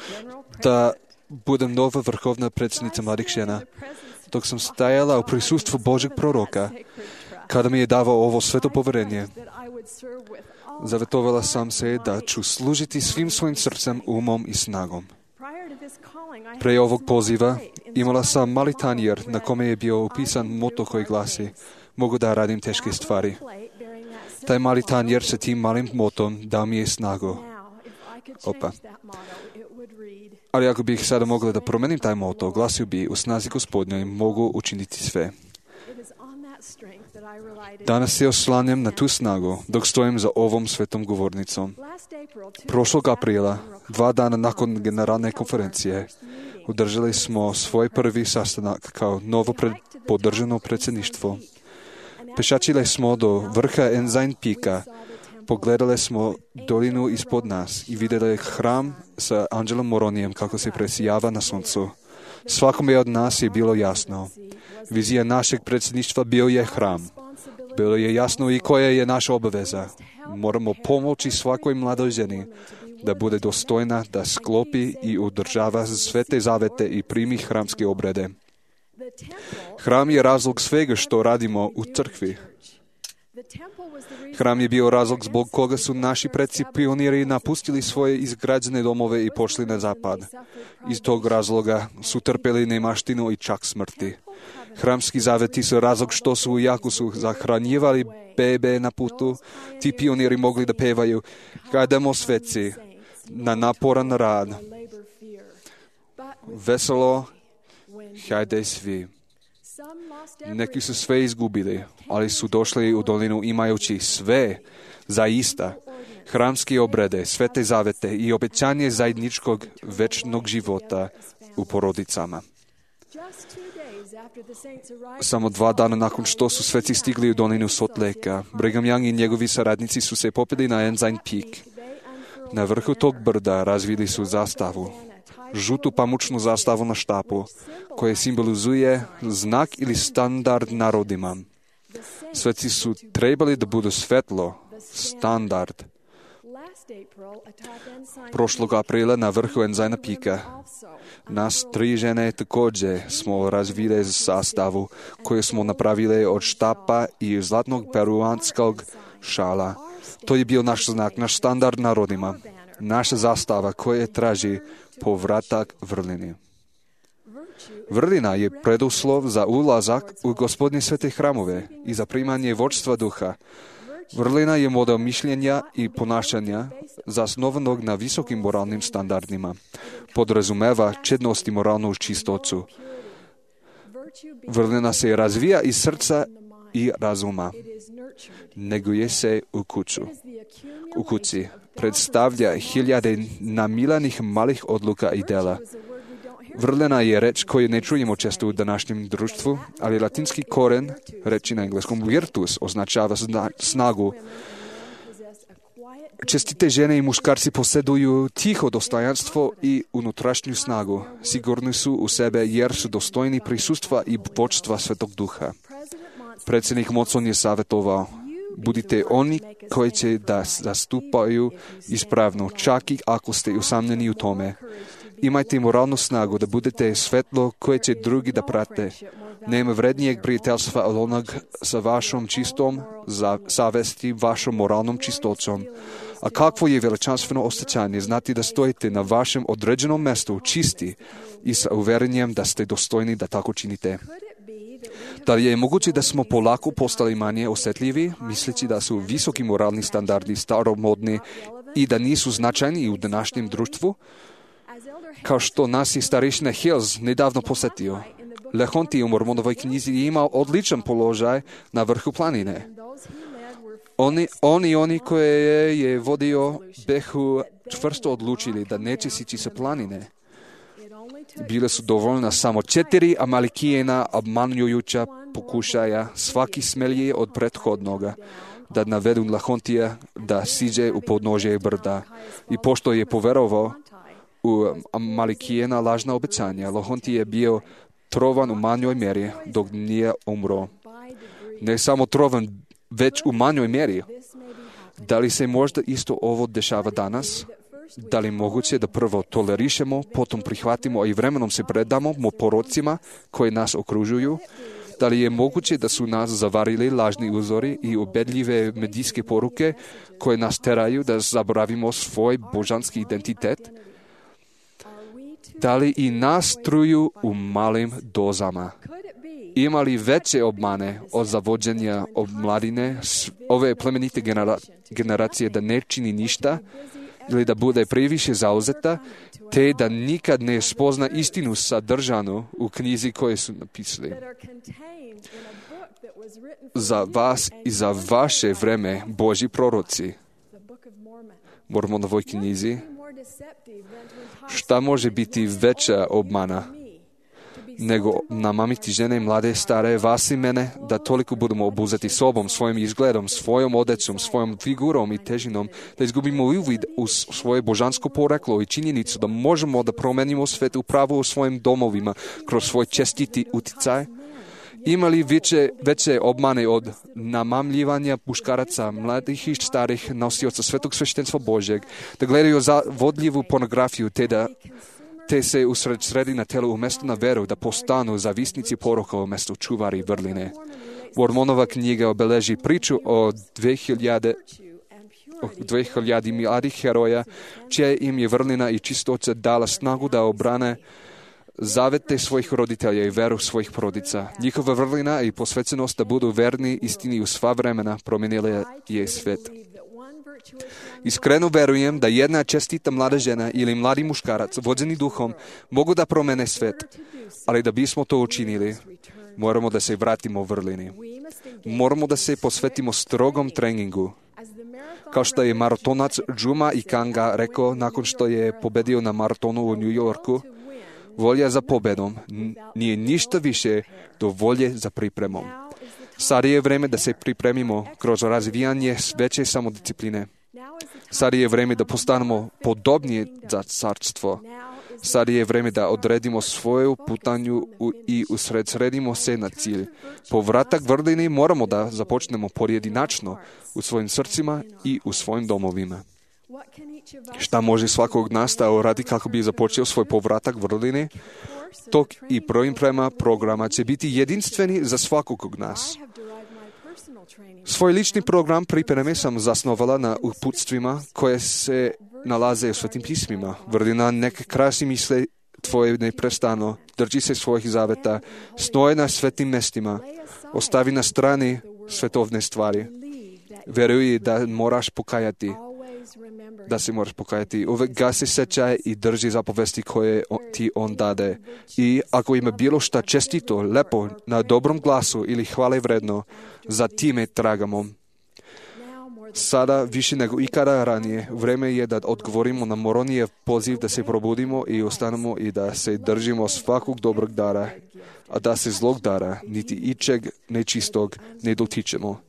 da budem nova vrhovna predsjednica mladih žena. Dok sam stajala u prisustvu Božeg proroka, kada mi je davao ovo sveto povjerenje, zavetovala sam se da ću služiti svim svojim srcem, umom i snagom. Pre ovog poziva imala sam mali tanjer na kome je bio upisan moto koji glasi: mogu da radim teške stvari. Taj mali tanjer sa tim malim motom dao mi je snagu. Opa. Ali ako bih sada mogla da promenim taj moto, glasio bi: u snazi Gospodnjoj mogu učiniti sve. Danas se oslanjam na tu snagu dok stojim za ovom svetom govornicom. Prošlog aprila, dva dana nakon generalne konferencije, održali smo svoj prvi sastanak kao novo pred, podržano predsjedništvo. Pešačili smo do vrha Ensign Peaka, pogledali smo dolinu ispod nas i vidjeli hram sa Angelom Moronijem kako se presijava na suncu. Svakome od nas je bilo jasno. Vizija našeg predsjedništva bio je hram. Bilo je jasno i koja je naša obaveza. Moramo pomoći svakoj mladoj ženi da bude dostojna, da sklopi i održava svete zavete i primi hramske obrede. Hram je razlog svega što radimo u crkvi. Hram je bio razlog zbog koga su naši predci pioniri napustili svoje izgrađene domove i pošli na zapad. Iz tog razloga su trpeli nemaštinu i čak smrti. Hramski zaveti su razlog što su, jako su zahranjivali bebe na putu, ti pioniri mogli da pevaju: hajdemo sveci na naporan rad, veselo, hajde svi. Neki su sve izgubili, ali su došli u dolinu imajući sve, zaista, hramske obrede, svete zavete i obećanje zajedničkog večnog života u porodicama. Samo dva dana nakon što su sveci stigli u dolinu Salt Lakea, Brigham Young i njegovi saradnici su se popili na Ensign Peak. Na vrhu tog brda razvili su zastavu, žutu pamučnu zastavu na štapu, koja simbolizuje znak ili standard narodima. Sveci su trebali da budu svetlo, standard. Prošlog aprila na vrhu Ensigna Peaka nas tri žene također smo razvili sastavu koju smo napravili od štapa i zlatnog peruanskog šala. To je bio naš znak, naš standard narodima, naša zastava koja traži povratak vrlini. Vrlina je preduslov za ulazak u Gospodnje svete hramove i za primanje vodstva duha. Vrlina je model mišljenja i ponašanja zasnovanog na visokim moralnim standardima. Podrazumeva čednost i moralnu čistoću. Vrlina se razvija iz srca i razuma. Neguje se u kuću. U kući predstavlja hiljade namilanih malih odluka i dela. Vrlina je reč koju ne čujemo često u današnjem društvu, ali latinski koren, reči na engleskom virtus, označava snagu. Čestite žene i muškarci posjeduju tiho dostojanstvo i unutrašnju snagu. Sigurni su u sebe jer su dostojni prisustva i vodstva Svetog Duha. Predsjednik Monson je savjetovao: budite oni koji će da zastupaju ispravno, čak i ako ste usamljeni u tome. Imajte moralnu snagu da budete svetlo koje će drugi da prate. Nema vrednijeg prijateljstva od onog sa vašom čistom savesti, vašom moralnom čistocom. A kakvo je veličanstveno osjećanje znati da stojite na vašem određenom mjestu čisti i sa uvjerenjem da ste dostojni da tako činite. Da li je moguće da smo polako postali manje osjetljivi, misleći da su visoki moralni standardi staromodni i da nisu značajni u današnjem društvu? Kao što nas je starešina Hills nedavno posjetio, Lehonti u Mormonovoj knjizi je imao odličan položaj na vrhu planine. Oni, oni, oni koje je vodio behu čvrsto odlučili da neće sići sa planine. Bile su dovoljna samo četiri Amalikijena obmanjujuća pokušaja, svaki smelji od prethodnoga, da navedu Lehontija da siđe u podnožje brda. I pošto je poverovao u Amalikijena lažna obećanja, Lehonti je bio trovan u manjoj mjeri dok nije umro. Ne samo trovan, već u manjoj mjeri. Da li se možda isto ovo dešava danas? Da li je moguće da prvo tolerišemo, potom prihvatimo i vremenom se predamo porocima koji nas okružuju? Da li je moguće da su nas zavarili lažni uzori i ubedljive medijske poruke koje nas teraju da zaboravimo svoj božanski identitet? Da li i nas truju u malim dozama? Ima li veće obmane od zavođenja omladine ove plemenite genera- generacije da ne čini ništa ili da bude previše zauzeta, te da nikad ne spozna istinu sadržanu u knjizi koje su napisali? Za vas i za vaše vreme Božji proroci, Mormonovoj knjizi, šta može biti veća obmana nego namamiti žene, mlade, stare, vas i mene, da toliko budemo obuzeti sobom, svojim izgledom, svojom odecom, svojom figurom i težinom, da izgubimo uvid u svoje božansko poreklo i činjenicu da možemo da promenimo svet upravo u svojim domovima kroz svoj čestiti uticaj? Ima li veće, veće obmane od namamljivanja muškaraca, mladih i starih nosioca svetog sveštenstva Božjeg, da gledaju za vodljivu pornografiju, te da te se usred sredi na telu umjesto na veru, da postanu zavisnici poroka umjesto čuvari vrline? Mormonova knjiga obeleži priču o dve hiljade mladih heroja, čija im je vrlina i čistoća dala snagu da obrane zavete svojih roditelja i veru svojih porodica. Njihova vrlina i posvećenost da budu verni istini u sva vremena promijenila je svet. Iskreno verujem da jedna čestita mlada žena ili mladi muškarac vođeni duhom mogu da promene svet, ali da bismo to učinili, moramo da se vratimo vrlini. Moramo da se posvetimo strogom treningu. Kao što je maratonac Juma Ikanga rekao nakon što je pobedio na maratonu u New Yorku, volja za pobedom nije ništa više do volje za pripremom. Sad je vreme da se pripremimo kroz razvijanje veće samodiscipline. Sad je vreme da postanemo podobnije za carstvo. Sad je vreme da odredimo svoju putanju i usredsredimo se na cilj. Povratak vrlini moramo da započnemo pojedinačno u svojim srcima i u svojim domovima. Šta može svakog nas da uradi kako bi započeo svoj povratak vrlini? Tok i priprema programa će biti jedinstveni za svakog od nas. Svoj lični program pripreme sam zasnovala na uputstvima koje se nalaze u Svetim pismima. Vrlina neke krasi misle tvoje neprestano, drži se svojih zaveta, stoje na svetim mestima, ostavi na strani svetovne stvari. Veruj da moraš pokajati. da se moraš pokajati. Uvek gasi sećaj i drži zapovesti koje ti on dade. I ako ima bilo šta čestito, lepo, na dobrom glasu ili hvale vredno, za time tragamo. Sada, više nego ikada ranije, vreme je da odgovorimo na Moronijev poziv da se probudimo i ostanemo i da se držimo svakog dobrog dara, a da se zlog dara, niti ičeg nečistog, ne dotičemo.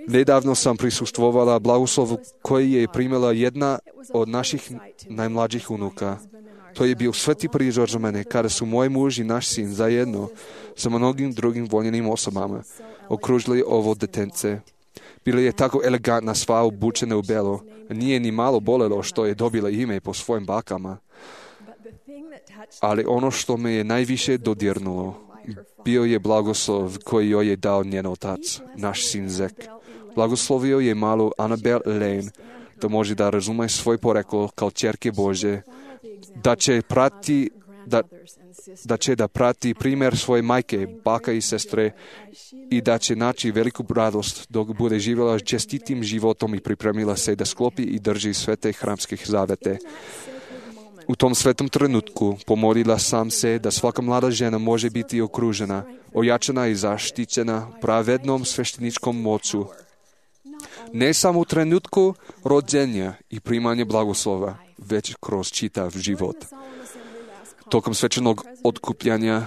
Nedavno sam prisustvovala blagoslovu koji je primila jedna od naših najmlađih unuka. To je bio sveti prizor za mene, kada su moj muž i naš sin zajedno sa mnogim drugim voljenim osobama okružili ovo detence. Bila je tako elegantna, sva obučena u belo. Nije ni malo bolelo što je dobila ime po svojim bakama. Ali ono što me je najviše dodirnulo, bio je blagoslov koji joj je dao njen otac, naš sin Zek. Blagoslovio je malu Annabel Lane, da može da razume svoj poreklo kao ćerke Bože, da će prati da, da će da prati primjer svoje majke, baka i sestre i da će naći veliku radost dok bude živjela čestitim životom i pripremila se da sklopi i drži svete hramskih zavete. U tom svetom trenutku pomolila sam se da svaka mlada žena može biti okružena, ojačana i zaštićena pravednom svešteničkom moću. Ne samo u trenutku rođenja i primanja blagoslova, već kroz čitav život. Tokom svečanog otkupljanja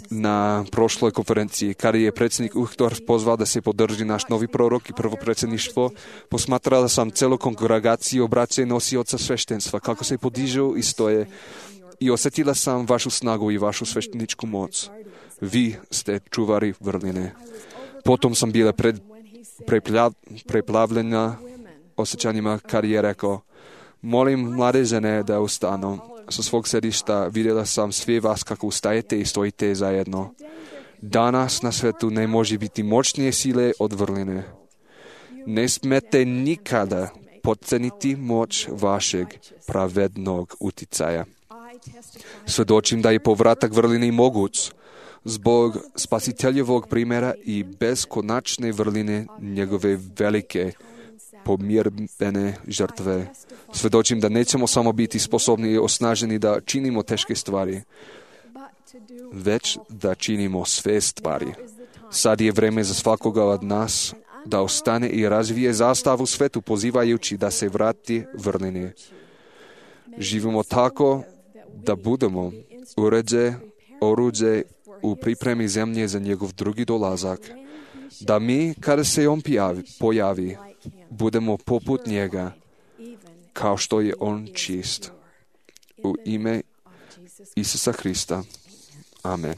na prošloj konferenciji, kada je predsjednik Uchtdorf pozvao da se podrži naš novi prorok i prvo predsjedništvo, posmatrala sam celu kongregaciju braće i nosioca sveštenstva, kako se podižu i stoje, i osjetila sam vašu snagu i vašu svešteničku moć. Vi ste čuvari vrline. Potom sam bila pred, preplav, preplavljena osjećanjima kad je rekao: molim mlade žene da ustanu. Sa svog sedišta vidjela sam sve vas kako ustajete i stojite zajedno. Danas na svetu ne može biti moćnije sile od vrline. Ne smete nikada podceniti moć vašeg pravednog uticaja. Svedočim da je povratak vrline moguć zbog spasiteljevog primjera i beskonačne vrline njegove velike pomirbene žrtve. Svedočim da nećemo samo biti sposobni i osnaženi da činimo teške stvari, već da činimo sve stvari. Sad je vreme za svakoga od nas da ostane i razvije zastavu svetu, pozivajući da se vrati vrlini. Živimo tako da budemo uređe, oruđe u pripremi zemlje za njegov drugi dolazak. Da mi, kada se on pojavi, pojavi budemo poput njega, kao što je on čist. U ime Isusa Hrista. Amen.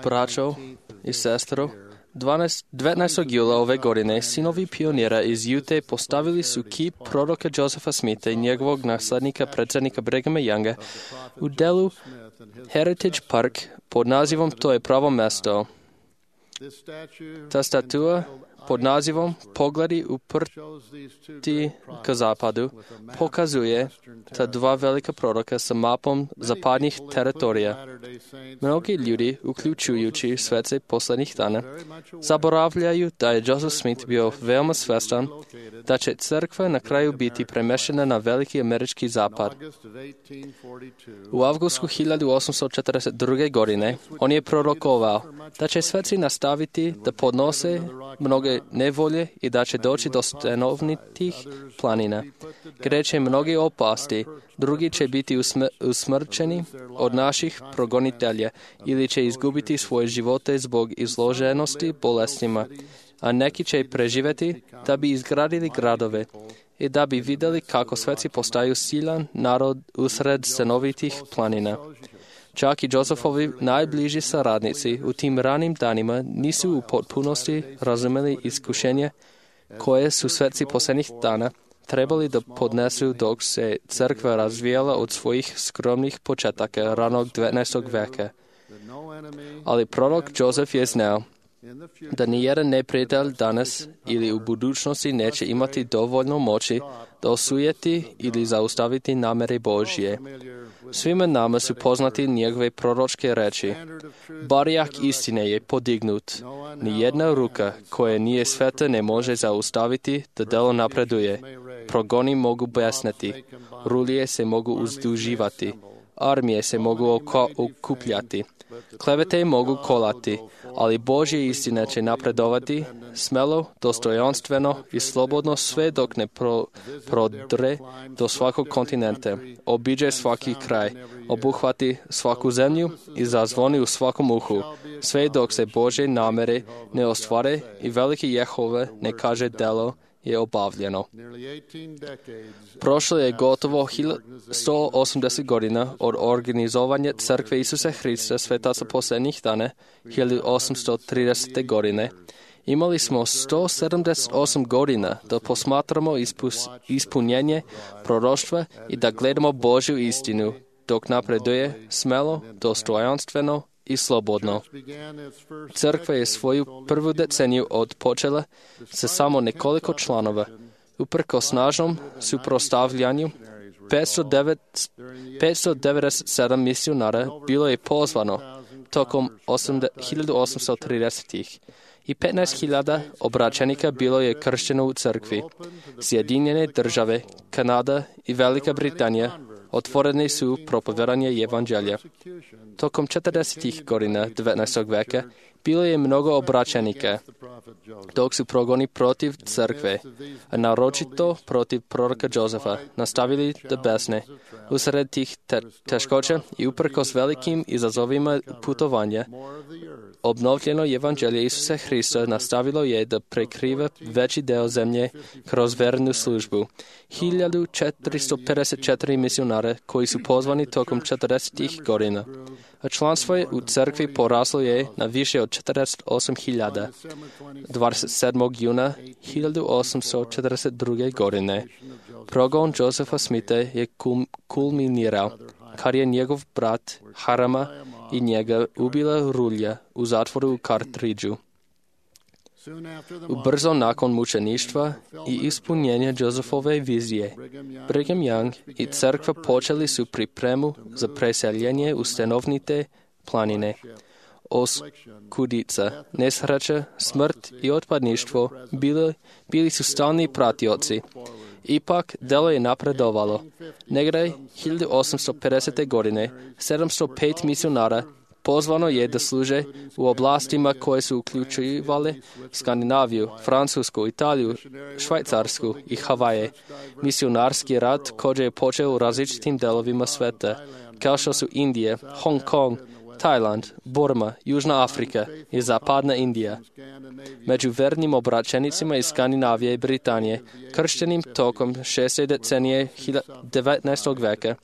Braćo i sestro, devetnaestog jula ove godine sinovi pionira iz Jute postavili su kip proroka Josepha Smitha i njegovog naslednika predsjednika Brighama Younga u delu Heritage Park pod nazivom To je pravo mesto. Ta statua pod nazivom Pogledi uprti ka zapadu pokazuje ta dva velika proroka sa mapom zapadnih teritorija. Mnogi ljudi, uključujući svece poslednjih dana, zaboravljaju da je Joseph Smith bio veoma svestan da će crkva na kraju biti premešena na veliki američki zapad. U avgustu hiljadu osamsto četrdeset druge. godine on je prorokovao da će sveci nastaviti da podnose mnoge nevolje i da će doći do stanovitih planina, gdje će mnogi opasti, drugi će biti usmrćeni od naših progonitelja ili će izgubiti svoje živote zbog izloženosti bolestima, a neki će preživjeti da bi izgradili gradove i da bi vidjeli kako sveci postaju silan narod usred stanovitih planina. Čak i Josephovi najbliži saradnici u tim ranim danima nisu u potpunosti razumeli iskušenje koje su sveci posljednjih dana trebali da podnesu dok se crkva razvijala od svojih skromnih početaka ranog devetnaestog veka. Ali prorok Joseph je znao da nijedan neprijatelj danas ili u budućnosti neće imati dovoljno moći da osujeti ili zaustaviti namere Božje. Svima nama su poznati njegove proročke reči. Barjak istine je podignut. Nijedna ruka koja nije sveta ne može zaustaviti da delo napreduje. Progoni mogu besneti. Rulije se mogu uzduživati. Armije se mogu okupljati. Klevete mogu kolati, ali Božje istine će napredovati smelo, dostojanstveno i slobodno sve dok ne pro, prodre do svakog kontinenta, obiđe svaki kraj, obuhvati svaku zemlju i zazvoni u svakom uhu, sve dok se Božje namere ne ostvare i veliki Jehova ne kaže delo je obavljeno. Prošlo je gotovo sto osamdeset godina od organizovanja Crkve Isusa Hrista svetaca posljednjih dana, hiljadu osamsto tridesete. godine. Imali smo sto sedamdeset osam godina da posmatramo ispus, ispunjenje proroštva i da gledamo Božju istinu, dok napreduje smelo, dostojanstveno i slobodno. Crkva je svoju prvu deceniju odpočela sa samo nekoliko članova. Uprkos snažnom suprotstavljanju, petsto devedeset sedam misionara bilo je pozvano tokom hiljadu osamsto tridesetih. i petnaest hiljada obraćenika bilo je kršteno u crkvi. Sjedinjene države, Kanada i Velika Britanija otvoreni su propovedanje evanđelja. Tokom četrdesetih godina devetnaestog veka bilo je mnogo obraćenika, dok su progoni protiv crkve, a naročito protiv proroka Josefa, nastavili da besne. Usred tih te- teškoća i uprkos velikim izazovima putovanja, obnovljeno evanđelje Isusa Hrista nastavilo je da prekriva veći deo zemlje kroz vernu službu. hiljadu četiristo pedeset četiri misionara koji su pozvani tokom četrdesetih godina, a članstvo je u crkvi poraslo je na više od četrdeset osam hiljada. dvadeset sedmog juna hiljadu osamsto četrdeset druge. godine progon Josepha Smitha je kulminirao, kad je njegov brat Harama i njega ubila rulja u zatvoru u Kartridžu. Ubrzo nakon mučeništva i ispunjenja Josephove vizije, Brigham Young i crkva počeli su pripremu za preseljenje u stanovite planine. Oskudica, nesreća, smrt i otpadništvo bili, bili su stalni pratioci. Ipak, delo je napredovalo. Negdje hiljadu osamsto pedesete. godine sedamsto pet misionara pozvano je da služe u oblastima koje su uključivale Skandinaviju, Francusku, Italiju, Švajcarsku i Havaje. Misionarski rad koji je počeo u različitim delovima sveta, kao što su Indije, Hong Kong, Tajland, Burma, Južna Afrika i Zapadna Indija. Među vernim obraćenicima iz Skandinavije i Britanije, krštenim tokom šeste decenije devetnaestog veka,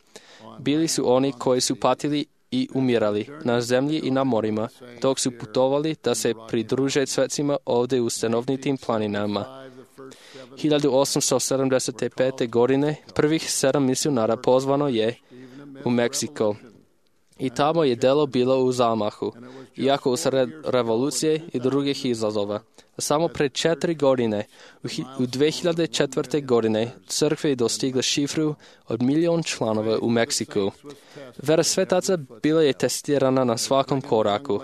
Bili su oni koji su patili i umirali na zemlji i na morima, dok su putovali da se pridruže svecima ovdje u stanovnitim planinama. hiljadu osamsto sedamdeset pete. godine prvih sedam misionara pozvano je u Meksiko i tamo je delo bilo u zamahu, iako usred revolucije i drugih izazova. Samo pred četiri godine, u dve hiljade četvrte. godine, crkve je dostigla šifru od milion članova u Meksiku. Vera svetaca bila je testirana na svakom koraku,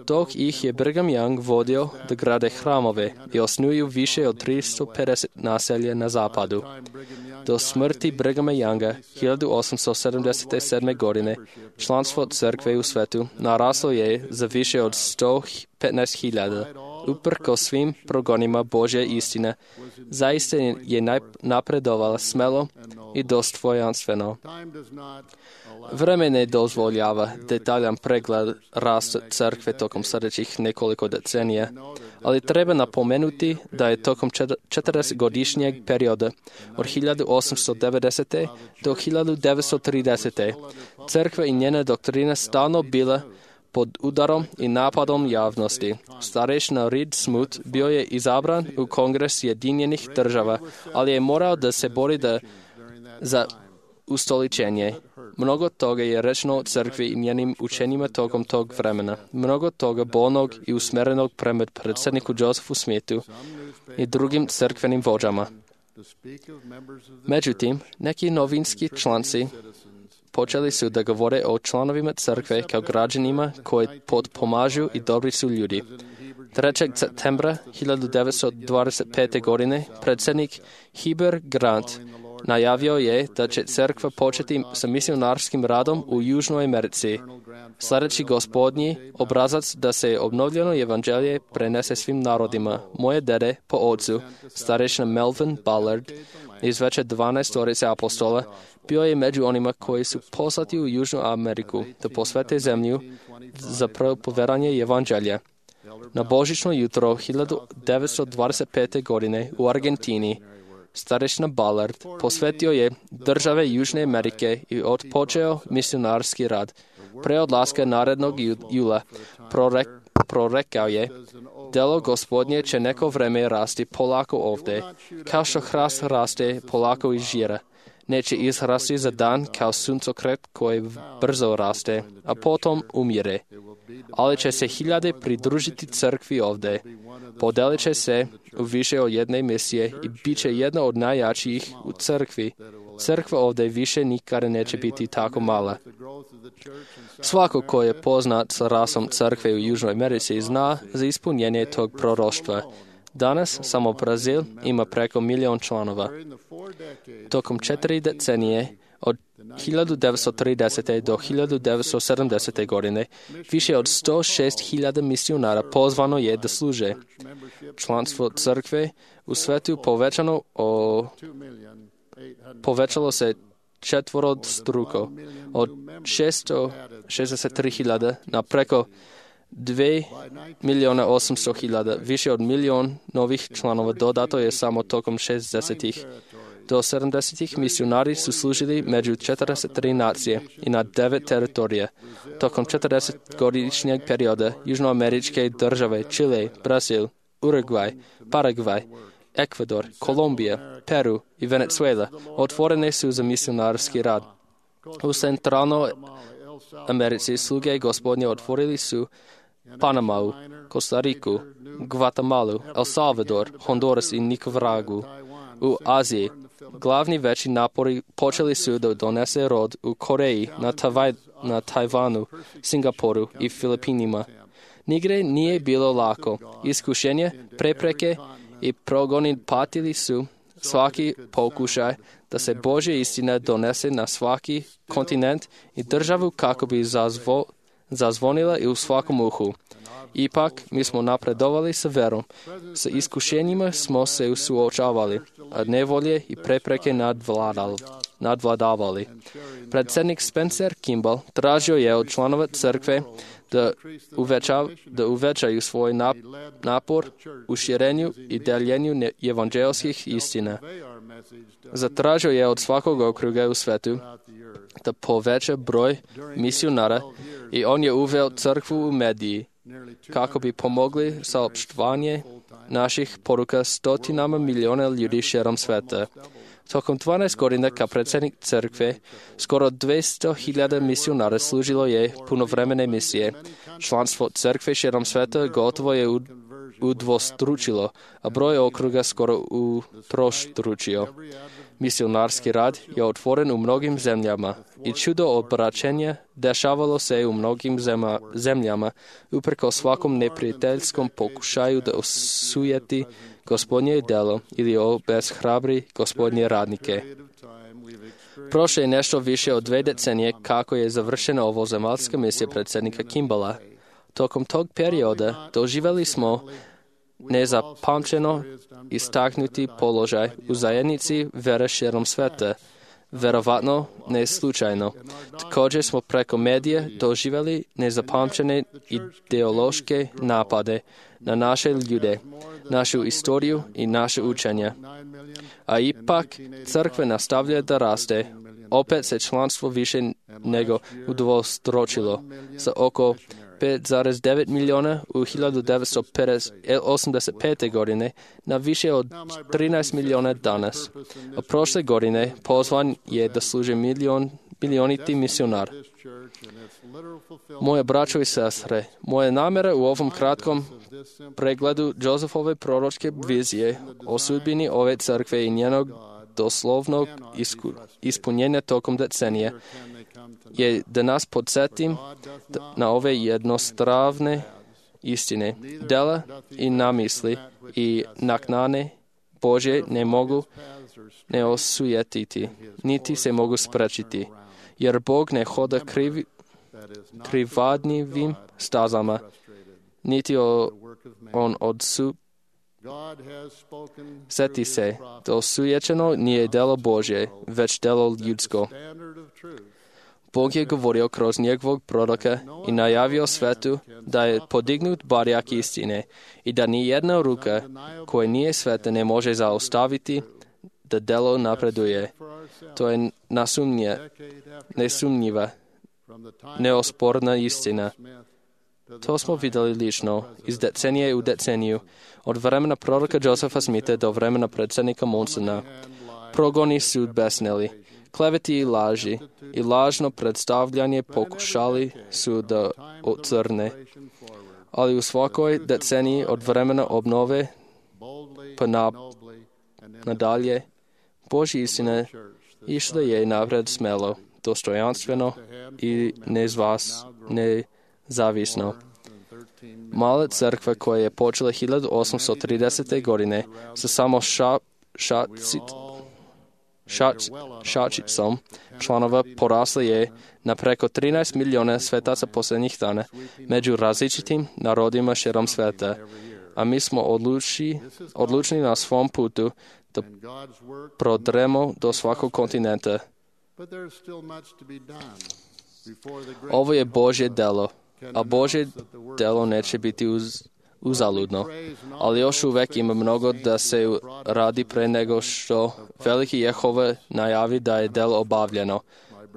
dok ih je Brigham Young vodio da grade hramove i osnuju više od tristo pedeset naselja na zapadu. Do smrti Brighama Younga hiljadu osamsto sedamdeset sedme. godine članstvo crkve u svetu naraslo je za više od sto petnaest hiljada. Uprko svim progonima Božje istine, zaista je napredovala smelo i dostojanstveno. Vreme ne dozvoljava detaljan pregled rasta crkve tokom sljedećih nekoliko decenija, ali treba napomenuti da je tokom četrdesetgodišnjeg perioda od hiljadu osamsto devedesete. do hiljadu devetsto tridesete. crkva i njena doktrina stalno bila pod udarom i napadom javnosti. Starešina Reed Smoot bio je izabran u Kongres Jedinjenih država, ali je morao da se bori da za ustoličenje. Mnogo toga je rečeno o crkvi i njenim učenjima tokom tog vremena. Mnogo toga bolnog i usmerenog prema predsjedniku Josephu Smithu i drugim crkvenim vođama. Međutim, neki novinski članci počeli su da govore o članovima crkve kao građanima koji potpomažu i dobri su ljudi. trećeg septembra hiljadu devetsto dvadeset pete. godine predsjednik Heber Grant najavio je da će crkva početi sa misionarskim radom u Južnoj Americi. Sljedeći gospodnji obrazac da se obnovljeno evanđelje prenese svim narodima. Moje dede po ocu, starešina Melvin Ballard, iz veće dvanaestorice apostola, bio je među onima koji su poslati u Južnu Ameriku da posvete zemlju za propovedanje evanđelja. Na božićno jutro hiljadu devetsto dvadeset pete. godine u Argentini starešina Ballard posvetio je države Južne Amerike i otpočeo misionarski rad. Pre odlaska narednog jula prorek, prorekao je: delo gospodnje će neko vreme rasti polako ovdje, kao što hrast raste polako iz žira. Neće izrasti za dan kao suncokret koji brzo raste, a potom umire. Ali će se hiljade pridružiti crkvi ovdje. Podelit će se u više od jedne misije i bit će jedna od najjačijih u crkvi. Crkva ovdje više nikada neće biti tako mala. Svako ko je poznat sa rasom crkve u Južnoj Americi zna za ispunjenje tog proroštva. Danas samo Brazil ima preko milion članova. Tokom četiri decenije, od hiljadu devetsto tridesete. do hiljadu devetsto sedamdesete. godine, više od sto šest hiljada misionara pozvano je da služe. Članstvo crkve u svetu povećano o, povećalo se četvorostruko, od šesto šezdeset tri hiljade na preko dva milijuna osamsto hiljada. Više od milion novih članova dodato je samo tokom šezdesetih. Do sedamdesetih misionari su služili među četrdeset tri nacije i na devet teritorija. Tokom četrdesetgodišnjeg perioda južnoameričke države Čile, Brazil, Urugvaj, Paragvaj, Ekvador, Kolumbija, Peru i Venezuela otvorene su za misionarski rad. U centralnoj Americi sluge gospodnje otvorili su Panamau, Kostariku, Guatemalu, El Salvador, Honduras i Nikaragu. U Aziji glavni veći napori počeli su da donese rod u Koreji, na, Tavaj, na Tajvanu, Singapuru i Filipinima. Nigde nije bilo lako. Iskušenje, prepreke i progoni patili su svaki pokušaj da se Božja istina donese na svaki kontinent i državu kako bi zazvo, zazvonila i u svakom uhu. Ipak, mi smo napredovali sa verom. Sa iskušenjima smo se suočavali, a nevolje i prepreke nadvladavali. Predsjednik Spencer Kimball tražio je od članova crkve da, uveća, da uvećaju svoj napor u širenju i deljenju evanđelskih istina. Zatražio je od svakog okruga u svetu da poveća broj misionara i on je uveo crkvu u mediji kako bi pomogli saopštvanje naših poruka stotinama miliona ljudi širom sveta. Tokom dvanaest godina kao predsjednik crkve, skoro dvesta hiljada misionara služilo je punovremene misije. Članstvo crkve širom sveta gotovo je udvostručilo, a broj okruga skoro utrostručio. Misionarski rad je otvoren u mnogim zemljama i čudo obraćenja dešavalo se u mnogim zema, zemljama uprko svakom neprijateljskom pokušaju da osujeti Gospodnje delo ili obeshrabri Gospodnje radnike. Prošlo je nešto više od dve decenije kako je završena ovo zemaljska misija predsjednika Kimballa. Tokom tog perioda doživjeli smo nezapamćeno istaknuti položaj u zajednici vere širom sveta. Verovatno ne slučajno. Također smo preko medija doživjeli nezapamćene ideološke napade na naše ljude, našu istoriju i naše učenje. A ipak crkva nastavlja da raste. Opet se članstvo više nego udvostručilo sa oko pet zarez devet milijuna u hiljadu devetsto osamdeset pete. godine na više od trinaest milijuna danas. A prošle godine pozvan je da služi milion, milioniti misionar. Moje braćo i sestre, moja namjera u ovom kratkom pregledu Josefove proročke vizije o sudbini ove crkve i njenog doslovnog isku, ispunjenja tokom decenije je da nas podsjetim na ove jednostavne istine. Dela i namisli i naknane Božje ne mogu ne osujetiti, niti se mogu sprečiti, jer Bog ne hoda krivi, krivadnivim stazama, niti o, on odsu Sjeti se, da osujećeno nije delo Božje, već delo ljudsko. Bog je govorio kroz njegovog proroka i najavio svetu da je podignut barjak istine i da ni jedna ruka koja nije sveta ne može zaustaviti da delo napreduje. To je nasumnje, nesumnjiva, neosporna istina. To smo vidjeli lično, iz decenije u deceniju, od vremena proroka Josefa Smitha do vremena predsjednika Monsona. Progoni su besneli, kleveti i laži i lažno predstavljanje pokušali su da ocrne. Ali u svakoj deceniji od vremena obnove pa na, nadalje, Božja istina išla je napred smelo, dostojanstveno i nezvas, nezavisno. Mala crkva koja je počela hiljadu osamsto tridesete. godine sa samo ša, šacit, šač, šačicom članova porasla je na preko trinaest milijuna svetaca posljednjih dana među različitim narodima širom sveta, a mi smo odluči, odlučni na svom putu da prodremo do svakog kontinenta. Ovo je Božje delo, a Božje delo neće biti uz, uzaludno, ali još uvek ima mnogo da se radi pre nego što veliki Jehova najavi da je delo obavljeno.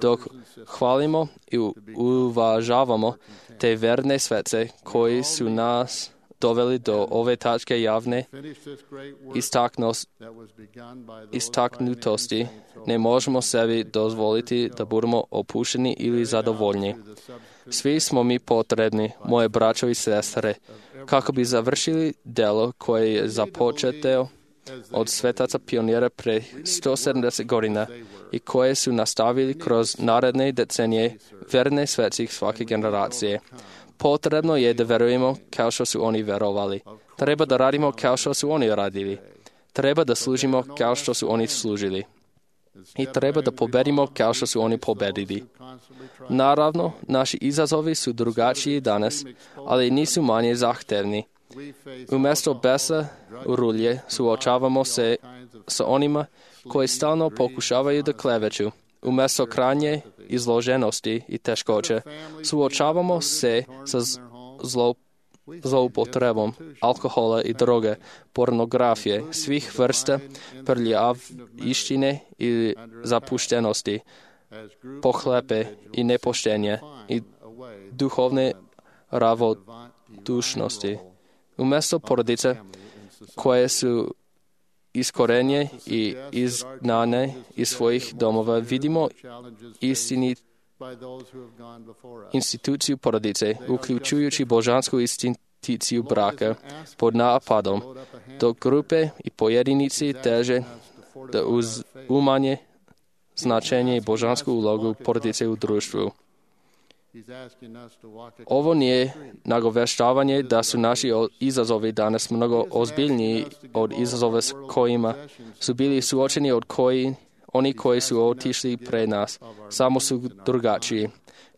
Dok hvalimo i uvažavamo te verne svece koji su nas doveli do ove tačke javne istaknutosti, ne možemo sebi dozvoliti da budemo opušteni ili zadovoljni. Svi smo mi potrebni, moje braćo i sestre, kako bi završili delo koje je započeteo od svetaca pionira pre sto sedamdeset godina i koje su nastavili kroz naredne decenije verne sveci svake generacije. Potrebno je da verujemo kao što su oni verovali. Treba da radimo kao što su oni radili. Treba da služimo kao što su oni služili. I treba da pobedimo kao što su oni pobedili. Naravno, naši izazovi su drugačiji danas, ali nisu manje zahtevni. Umjesto besa u rulje suočavamo se sa onima koji stalno pokušavaju da kleveću. Umjesto krajnje izloženosti i teškoće, suočavamo se sa zlo, zloupotrebom alkohola i droge, pornografije, svih vrsta prljavštine i zapuštenosti, pohlepe i nepoštenje i duhovne ravnodušnosti. Umjesto porodice koje su iskorenje i izgnane iz svojih domova, vidimo istini instituciju porodice, uključujući božansku instituciju braka, pod napadom, dok grupe i pojedinici teže da uz umanje značenje i božansku ulogu porodice u društvu. Ovo nije nagoveštavanje da su naši izazovi danas mnogo ozbiljniji od izazova s kojima su bili suočeni od koji oni koji su otišli pre nas, samo su drugačiji.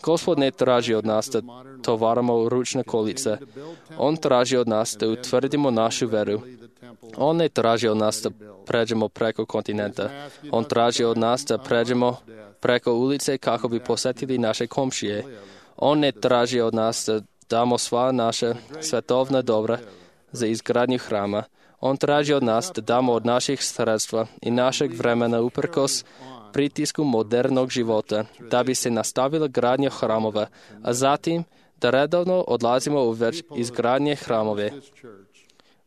Gospod ne traži od nas da tovaramo ručne kolice. On traži od nas da utvrdimo našu veru. On ne traži od nas da pređemo preko kontinenta. On traži od nas da pređemo preko ulice kako bi posjetili naše komšije. On ne traži od nas da damo sva naša svetovna dobra za izgradnju hrama. On traži od nas da damo od naših sredstva i našeg vremena uprkos pritisku modernog života, da bi se nastavila gradnja hramova, a zatim da redovno odlazimo u već izgradnje hramove.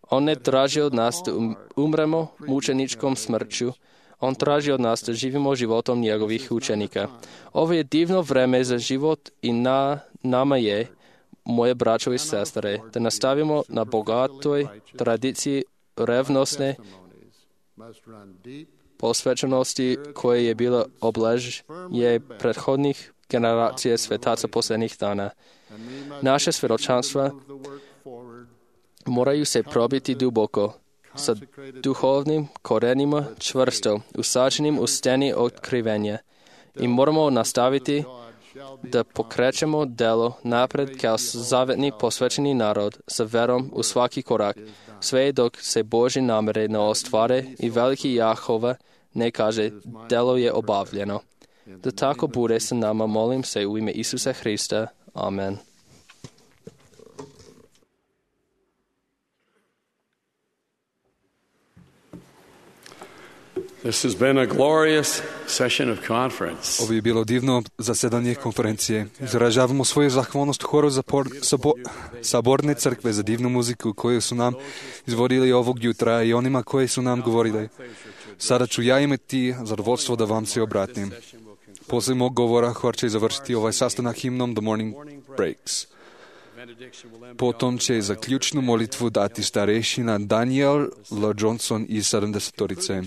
On ne traži od nas da umremo mučeničkom smrću. On traži od nas da živimo životom njegovih učenika. Ovo je divno vreme za život i na nama je, moje braćo i sestre, da nastavimo na bogatoj tradiciji revnosne posvećenosti koje je bila obležje prethodnih generacija svetaca posljednjih dana. Naše svjedočanstva moraju se probiti duboko, sa duhovnim korenima čvrsto, usađenim u steni otkrivenja. I moramo nastaviti da pokrećemo delo napred kao zavetni posvećeni narod sa verom u svaki korak, sve dok se Božje namere ne ostvare i veliki Jahova ne kaže delo je obavljeno. Da tako bude sa nama, molim se u ime Isusa Hrista. Amen. This has been a glorious session of conference. Ovo je bilo divno zasedanje konferencije. Izražavamo svoju zahvalnost horu za por, sabo, saborne crkve za divnu muziku koju su nam izvodili ovog jutra i onima koji su nam govorili. Sada ću ja imati zadovoljstvo da vam se obratim. Poslije mog govora hor će završiti ovaj sastanak himnom The Morning Breaks. Potom će za ključnu molitvu dati starešina Daniel L. Johnson iz sedamdesetorice.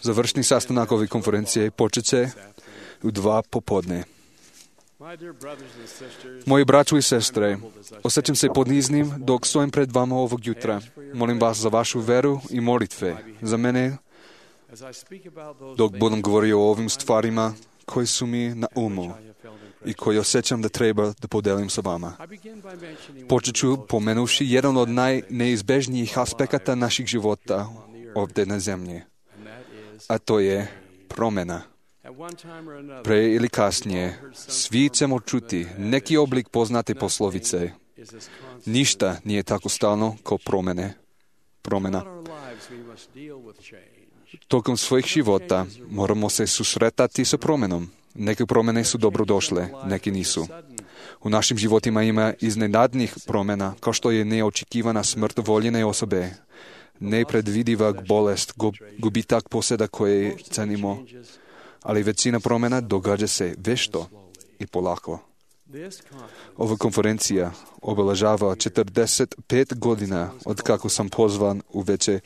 Završni sastanak ove konferencije počet će u dva popodne. Moji braćo i sestre, osjećam se podniznim dok stojim pred vama ovog jutra. Molim vas za vašu veru i molitve za mene dok budem govorio o ovim stvarima koji su mi na umu i koji osjećam da treba da podelim sa vama. Počet ću pomenuši jedan od najneizbežnijih aspekata naših života ovdje na zemlji, a to je promjena. Pre ili kasnije svi ćemo čuti neki oblik poznate poslovice. Ništa nije tako stalno kao promjene. Promjena. Tokom svojih života moramo se susretati sa promjenom. Neke promjene su dobrodošle, neki nisu. U našim životima ima iznenadnih promjena, kao što je neočekivana smrt voljene osobe, nepredvidiva bolest, gubitak posjeda koje cenimo, ali većina promjena događa se vešto i polako. Ova konferencija obeležava četrdeset pet godina od kako sam pozvan u veće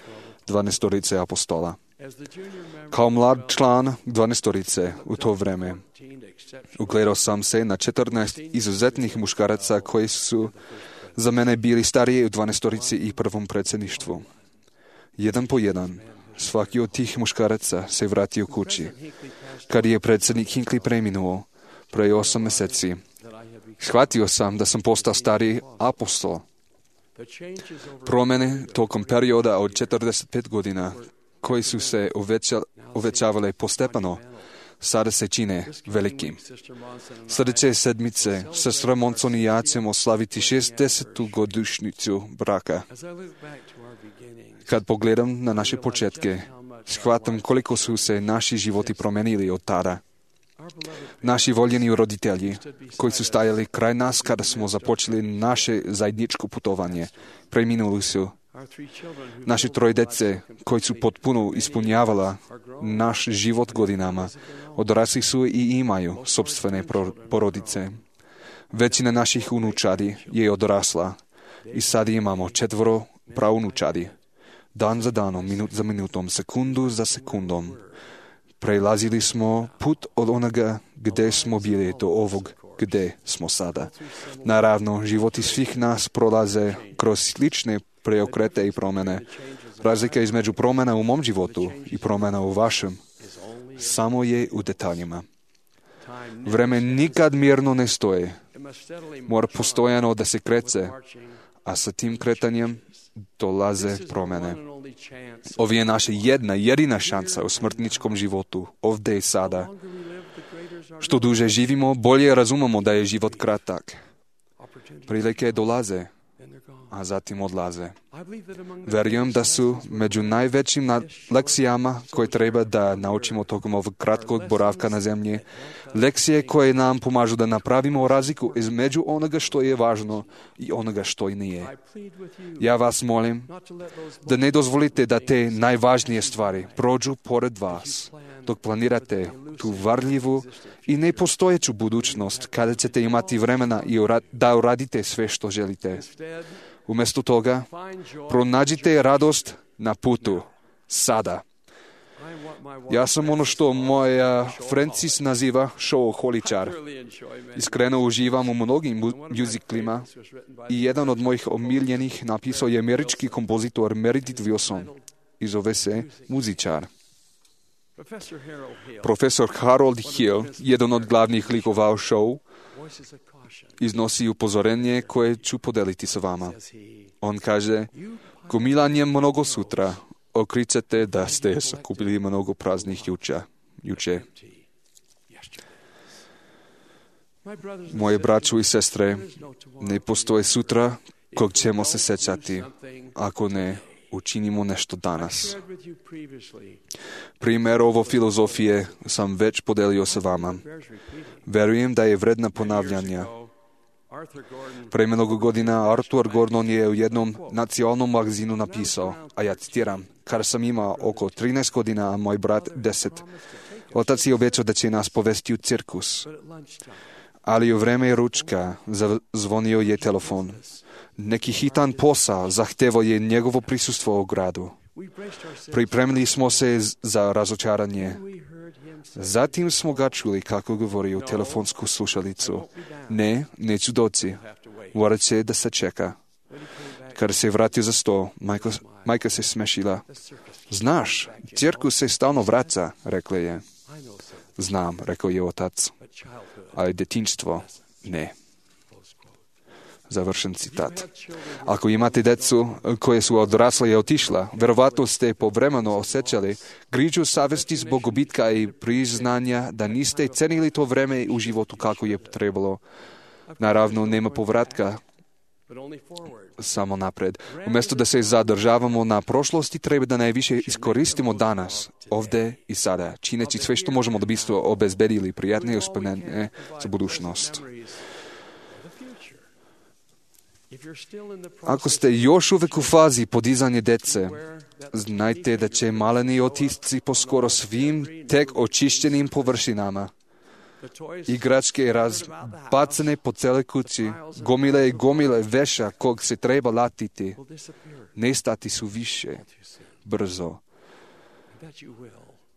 dvanaestorice apostola. Kao mlad član dvanaestorice u to vreme ugledao sam se na četrnaest izuzetnih muškaraca koji su za mene bili stariji u dvanaestorici i prvom predsjedništvu. Jedan po jedan, svaki od tih muškaraca se vratio kući. Kad je predsjednik Hinckley preminuo pre osam mjeseci, shvatio sam da sam postao stariji apostol. Promjene tokom perioda od četrdeset pet godina koji su se uveća, uvećavale postepeno, sada se čine velikim. Sljedeće sedmice sestra Monson i ja ćemo slaviti šezdesetu godišnjicu braka. Kad pogledam na naše početke, shvatam koliko su se naši životi promenili od tada. Naši voljeni roditelji, koji su stajali kraj nas kada smo započeli naše zajedničko putovanje, preminuli su. Naše troje dece, koji su potpuno ispunjavala naš život godinama, odrasli su i imaju sopstvene porodice. Većina naših unučadi je odrasla i sad imamo četvoro praunučadi. Dan za danom, minut za minutom, sekundu za sekundom. Prelazili smo put od onoga gde smo bili do ovog gde smo sada. Naravno, životi svih nas prolaze kroz slične preokrete i promene. Razlika između promjena u mom životu i promjena u vašem samo je u detaljima. Vreme nikad mirno ne stoje. Mora postojano da se kreće, a sa tim kretanjem dolaze promjene. Ovo je naša jedna, jedina šansa u smrtničkom životu, ovdje i sada. Što duže živimo, bolje razumemo da je život kratak. Prilike dolaze, a zatim odlaze. Verujem da su među najvećim lekcijama koje treba da naučimo tokom ovog kratkog boravka na zemlji, lekcije koje nam pomažu da napravimo razliku između onoga što je važno i onoga što i nije. Ja vas molim da ne dozvolite da te najvažnije stvari prođu pored vas, dok planirate tu varljivu i nepostojeću budućnost kada ćete imati vremena i da uradite sve što želite. Umjesto toga, pronađite radost na putu, sada. Ja sam ono što moja Francis naziva showholičar. Iskreno uživam u mnogim muziklima i jedan od mojih omiljenih napisao je američki kompozitor Meredith Willson i zove se Muzičar. Profesor Harold Hill, jedan od glavnih likova u show, iznosi upozorenje koje ću podeliti sa vama. On kaže, gomilanjem mnogo sutra okričete da ste sakupili mnogo praznih juča, juče. Moje braćo i sestre, ne postoje sutra kog ćemo se sećati, ako ne učinimo nešto danas. Primjer ovo filozofije sam već podelio sa vama. Verujem da je vredna ponavljanja. Pre mnogo godina Arthur Gordon je u jednom nacionalnom magazinu napisao, a ja citiram, kada sam imao oko trinaest godina, a moj brat deset. Otac je obećao da će nas povesti u cirkus. Ali u vreme ručka zvonio je telefon. Neki hitan posao zahtevao je njegovo prisustvo u gradu. Pripremili smo se za razočaranje. Zatim smo ga čuli kako govori u telefonsku slušalicu. Ne, neću doći. Morat će da se čeka. Kada se vratio za sto, majka, majka se smešila. Znaš, cirkus se stalno vraća, rekla je. Znam, rekao je otac. Ali detinjstvo, ne. Završen citat. Ako imate decu koje su odrasle i otišla, verovatno ste povremeno osjećali grižu savesti zbog gubitka i priznanja da niste cenili to vreme u životu kako je trebalo. Naravno, nema povratka, samo napred. Umjesto da se zadržavamo na prošlosti, treba da najviše iskoristimo danas, ovdje i sada, čineći sve što možemo da bismo obezbedili prijatne uspomene za budućnost. Ako ste još uvek u fazi podizanja dece, znajte da će maleni otisci po skoro svim tek očišćenim površinama. Igračke razbacane po cele kući, gomile i gomile veša kog se treba latiti, nestati su više, brzo.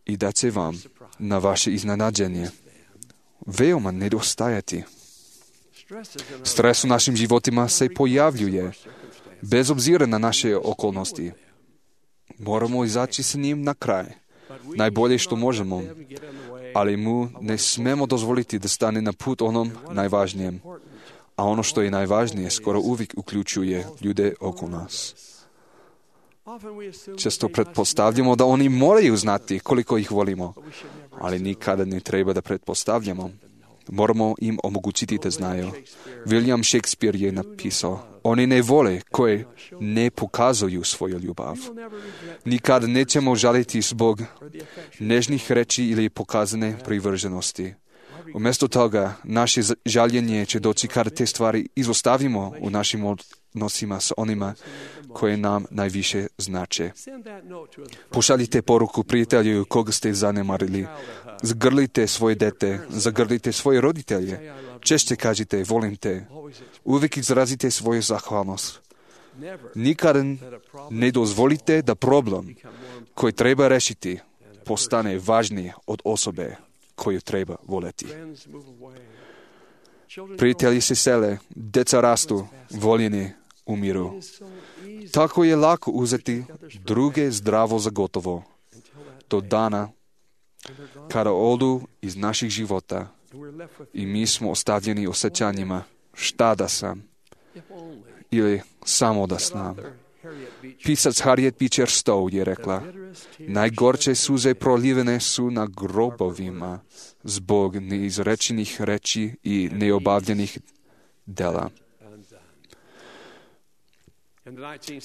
I da će vam, na vaše iznenađenje, veoma nedostajati. Stres u našim životima se pojavljuje, bez obzira na naše okolnosti. Moramo izaći s njim na kraj, najbolje što možemo, ali mu ne smemo dozvoliti da stane na put onom najvažnijem. A ono što je najvažnije skoro uvijek uključuje ljude oko nas. Često pretpostavljamo da oni moraju znati koliko ih volimo, ali nikada ne treba da pretpostavljamo. Moramo im omogućiti da znaju. William Shakespeare je napisao, oni ne vole koje ne pokazuju svoju ljubav. Nikad nećemo žaliti zbog nežnih reči ili pokazane privrženosti. Umjesto toga, naše žaljenje će doći kada te stvari izostavimo u našim odnosima s onima koje nam najviše znače. Pošaljite poruku prijatelju koga ste zanemarili. Zgrlite svoje dete, zagrlite svoje roditelje. Češće kažite, volim te. Uvijek izrazite svoju zahvalnost. Nikada ne dozvolite da problem koji treba rešiti postane važniji od osobe koju treba voljeti. Prijatelji se sele, deca rastu, voljeni umiru. Tako je lako uzeti druge zdravo za gotovo. Do dana kada odu iz naših života i mi smo ostavljeni osjećanjima šta da sam ili samo da znam. Pisac Harriet Beecher Stowe je rekla, najgorče suze prolivene su na grobovima zbog neizrečenih reči i neobavljenih dela.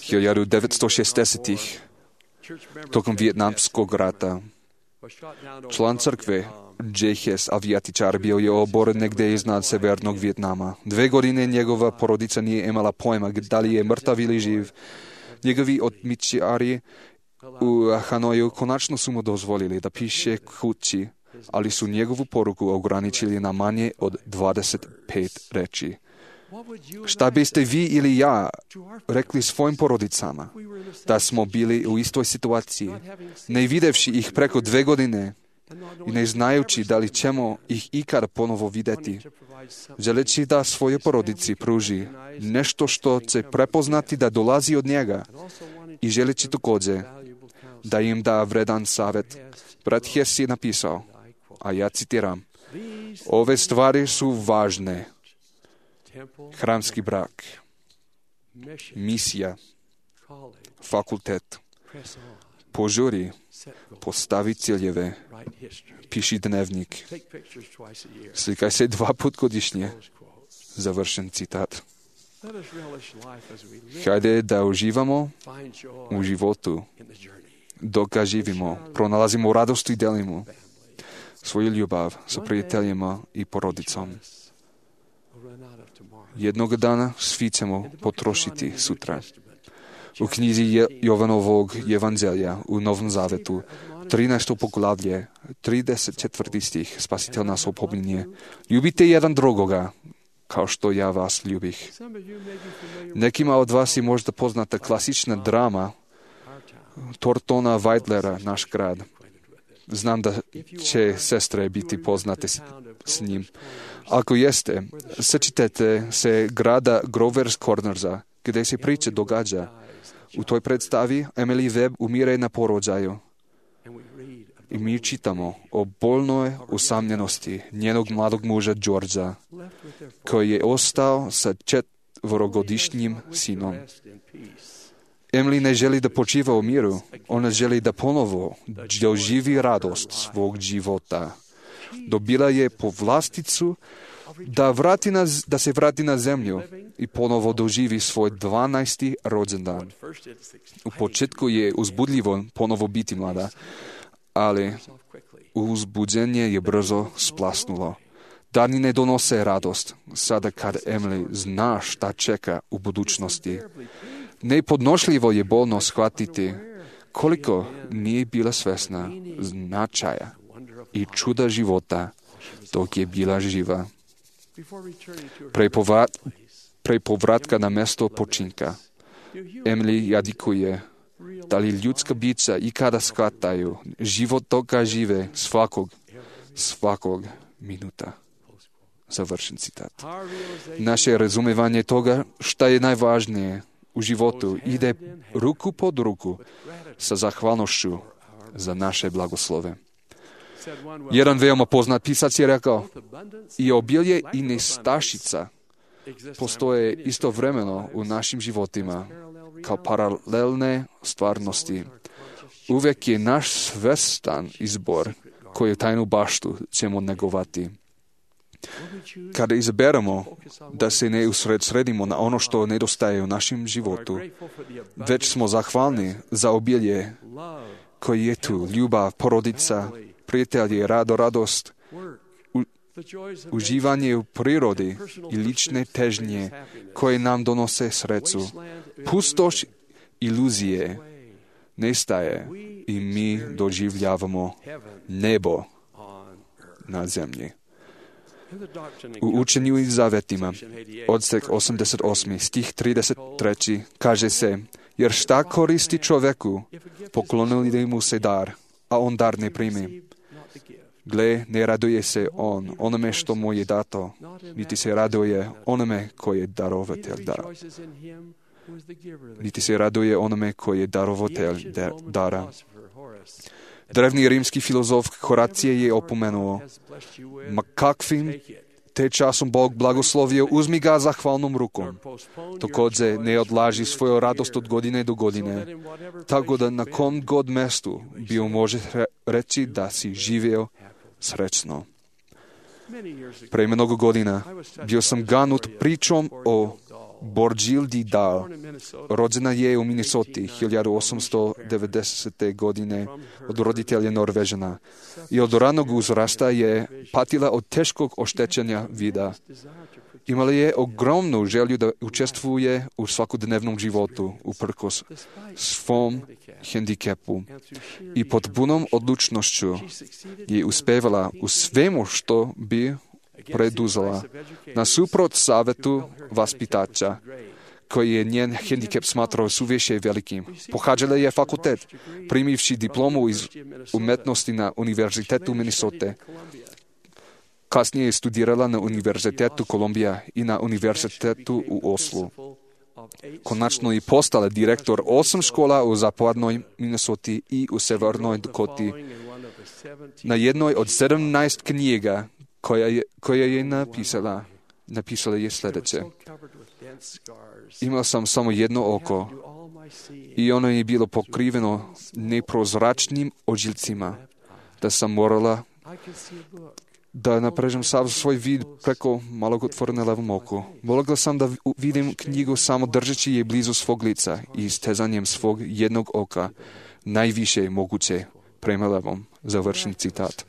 hiljadu devetsto šezdesetih tokom Vijetnamskog rata član crkve J. Hess, avijatičar, bio je oboren negdje iznad severnog Vijetnama. Dve godine njegova porodica nije imala pojma da li je mrtav ili živ. Njegovi otmičari u Hanoju konačno su mu dozvolili da piše kući, ali su njegovu poruku ograničili na manje od dvadeset pet reči. Šta biste vi ili ja rekli svojim porodicama da smo bili u istoj situaciji, ne videvši ih preko dve godine i ne znajući da li ćemo ih ikad ponovo vidjeti, želeći da svoje porodici pruži nešto što će prepoznati da dolazi od njega i želeći također da im da vredan savjet. Brat Hess je napisao, a ja citiram, ove stvari su važne. Hramski brak, misija, fakultet, požuri, postavi ciljeve, piši dnevnik, slikaj se dva put godišnje. Završen citat. Hajde da uživamo u životu, dok ga živimo, pronalazimo radost i delimo svoju ljubav sa prijateljima i porodicom. Jednog dana svi ćemo potrošiti sutra. U knjizi Jovanovog evanđelja u Novom Zavetu, trinaesto poglavlje, trideset četvrti stih, Spasitelj nas opominje, ljubite jedan drugoga, kao što ja vas ljubih. Nekima od vas je možda poznata klasična drama Thorntona Wilderera, Naš grad. Znam da će sestre biti poznate s, s njim. Ako jeste, sjećate se grada Grover's Cornersa, gdje se priča događa. U toj predstavi Emily Webb umire na porođaju. I mi čitamo o bolnoj usamljenosti njenog mladog muža Georgea, koji je ostao sa četvorogodišnjim sinom. Emily ne želi da počiva u miru, ona želi da ponovo doživi radost svog života. Dobila je povlasticu da, vrati na, da se vrati na zemlju i ponovo doživi svoj dvanaesti rođendan. U početku je uzbudljivo ponovo biti mlada, ali uzbuđenje je brzo splasnulo. Dani ne donose radost, sada kad Emily zna šta čeka u budućnosti. Nepodnošljivo je bolno shvatiti koliko nije bila svesna značaja i čuda života dok je bila živa. Pre, povrat, pre povratka na mesto počinka, Emily jadikuje da li ljudska bića ikada shvataju život toga žive svakog, svakog minuta. Završen citat. Naše razumevanje toga šta je najvažnije u životu ide ruku pod ruku sa zahvalnošću za naše blagoslove. Jedan veoma poznat pisac je rekao, i obilje i nestašica postoje istovremeno u našim životima kao paralelne stvarnosti. Uvijek je naš svestan izbor koju tajnu baštu ćemo negovati. Kada izaberemo da se ne usredsredimo na ono što nedostaje u našem životu, već smo zahvalni za obilje koji je tu, ljubav, porodica, prijatelji, rado, radost, u, uživanje u prirodi i lične težnje koje nam donose sreću. Pustoš iluzije nestaje i mi doživljavamo nebo na zemlji. U učenju i zavetima, odsek osamdeset osam, stih trideset tri, kaže se, jer šta koristi čoveku, poklonili mu se dar, a on dar ne primi. Gle, ne raduje se on onome što mu je dato, niti se raduje onome koji je darovatelj dara. Niti se raduje onome koji je darovatelj dara. Drevni rimski filozof Horacije je opomenuo, ma kakvim te časom Bog blagoslovio, uzmi ga zahvalnom rukom. Također ne odlaži svoju radost od godine do godine, tako da na kom god mestu bio može reći da si živio srećno. Pre mnogo godina bio sam ganut pričom o Borgildi Dahl. Rođena je u Minnesoti hiljadu osamsto devedesete. godine od roditelja Norvežana i od ranog uzrasta je patila od teškog oštećenja vida. Imala je ogromnu želju da učestvuje u svakodnevnom životu uprkos svom hendikepu i pod punom odlučnošću je uspevala u svemu što bi preduzela. Nasuprot savetu vaspitača, koji je njen hendikep smatrao suviše velikim. Pohađala je fakultet, primivši diplomu iz umetnosti na Univerzitetu Minnesota. Kasnije je studirala na Univerzitetu Kolumbija i na Univerzitetu u Oslu. Konačno je postala direktor osam škola u zapadnoj Minnesoti i u severnoj Dakoti. Na jednoj od sedamnaest knjiga koja je, koja je napisala, napisala je sljedeće. Imao sam samo jedno oko i ono je bilo pokriveno neprozračnim ožiljcima, da sam morala da naprežem sav svoj vid preko malog otvora levom oku. Mogla sam da vidim knjigu samo držeći je blizu svog lica i istezanjem svog jednog oka, najviše moguće prema levom. Završen citat.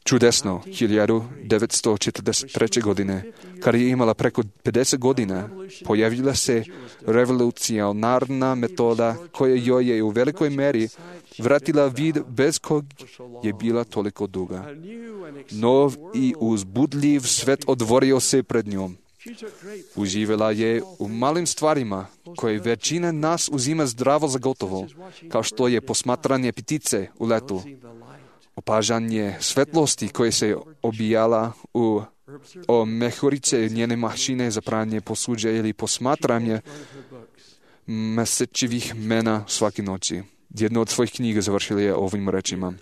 Čudesno, hiljadu devetsto četrdeset treće. godine, kada je imala preko pedeset godina, pojavila se revolucionarna metoda koja joj je u velikoj meri vratila vid bez kog je bila toliko duga. Nov i uzbudljiv svet otvorio se pred njom. Uživala je u malim stvarima koje većina nas uzima zdravo za gotovo, kao što je posmatranje ptice u letu, opažanje svetlosti koje se obijala u o mehurice njene mašine za pranje posuđa ili posmatranje mesečivih mena svake noći. Jednu od svojih knjiga završila je ovim rečima.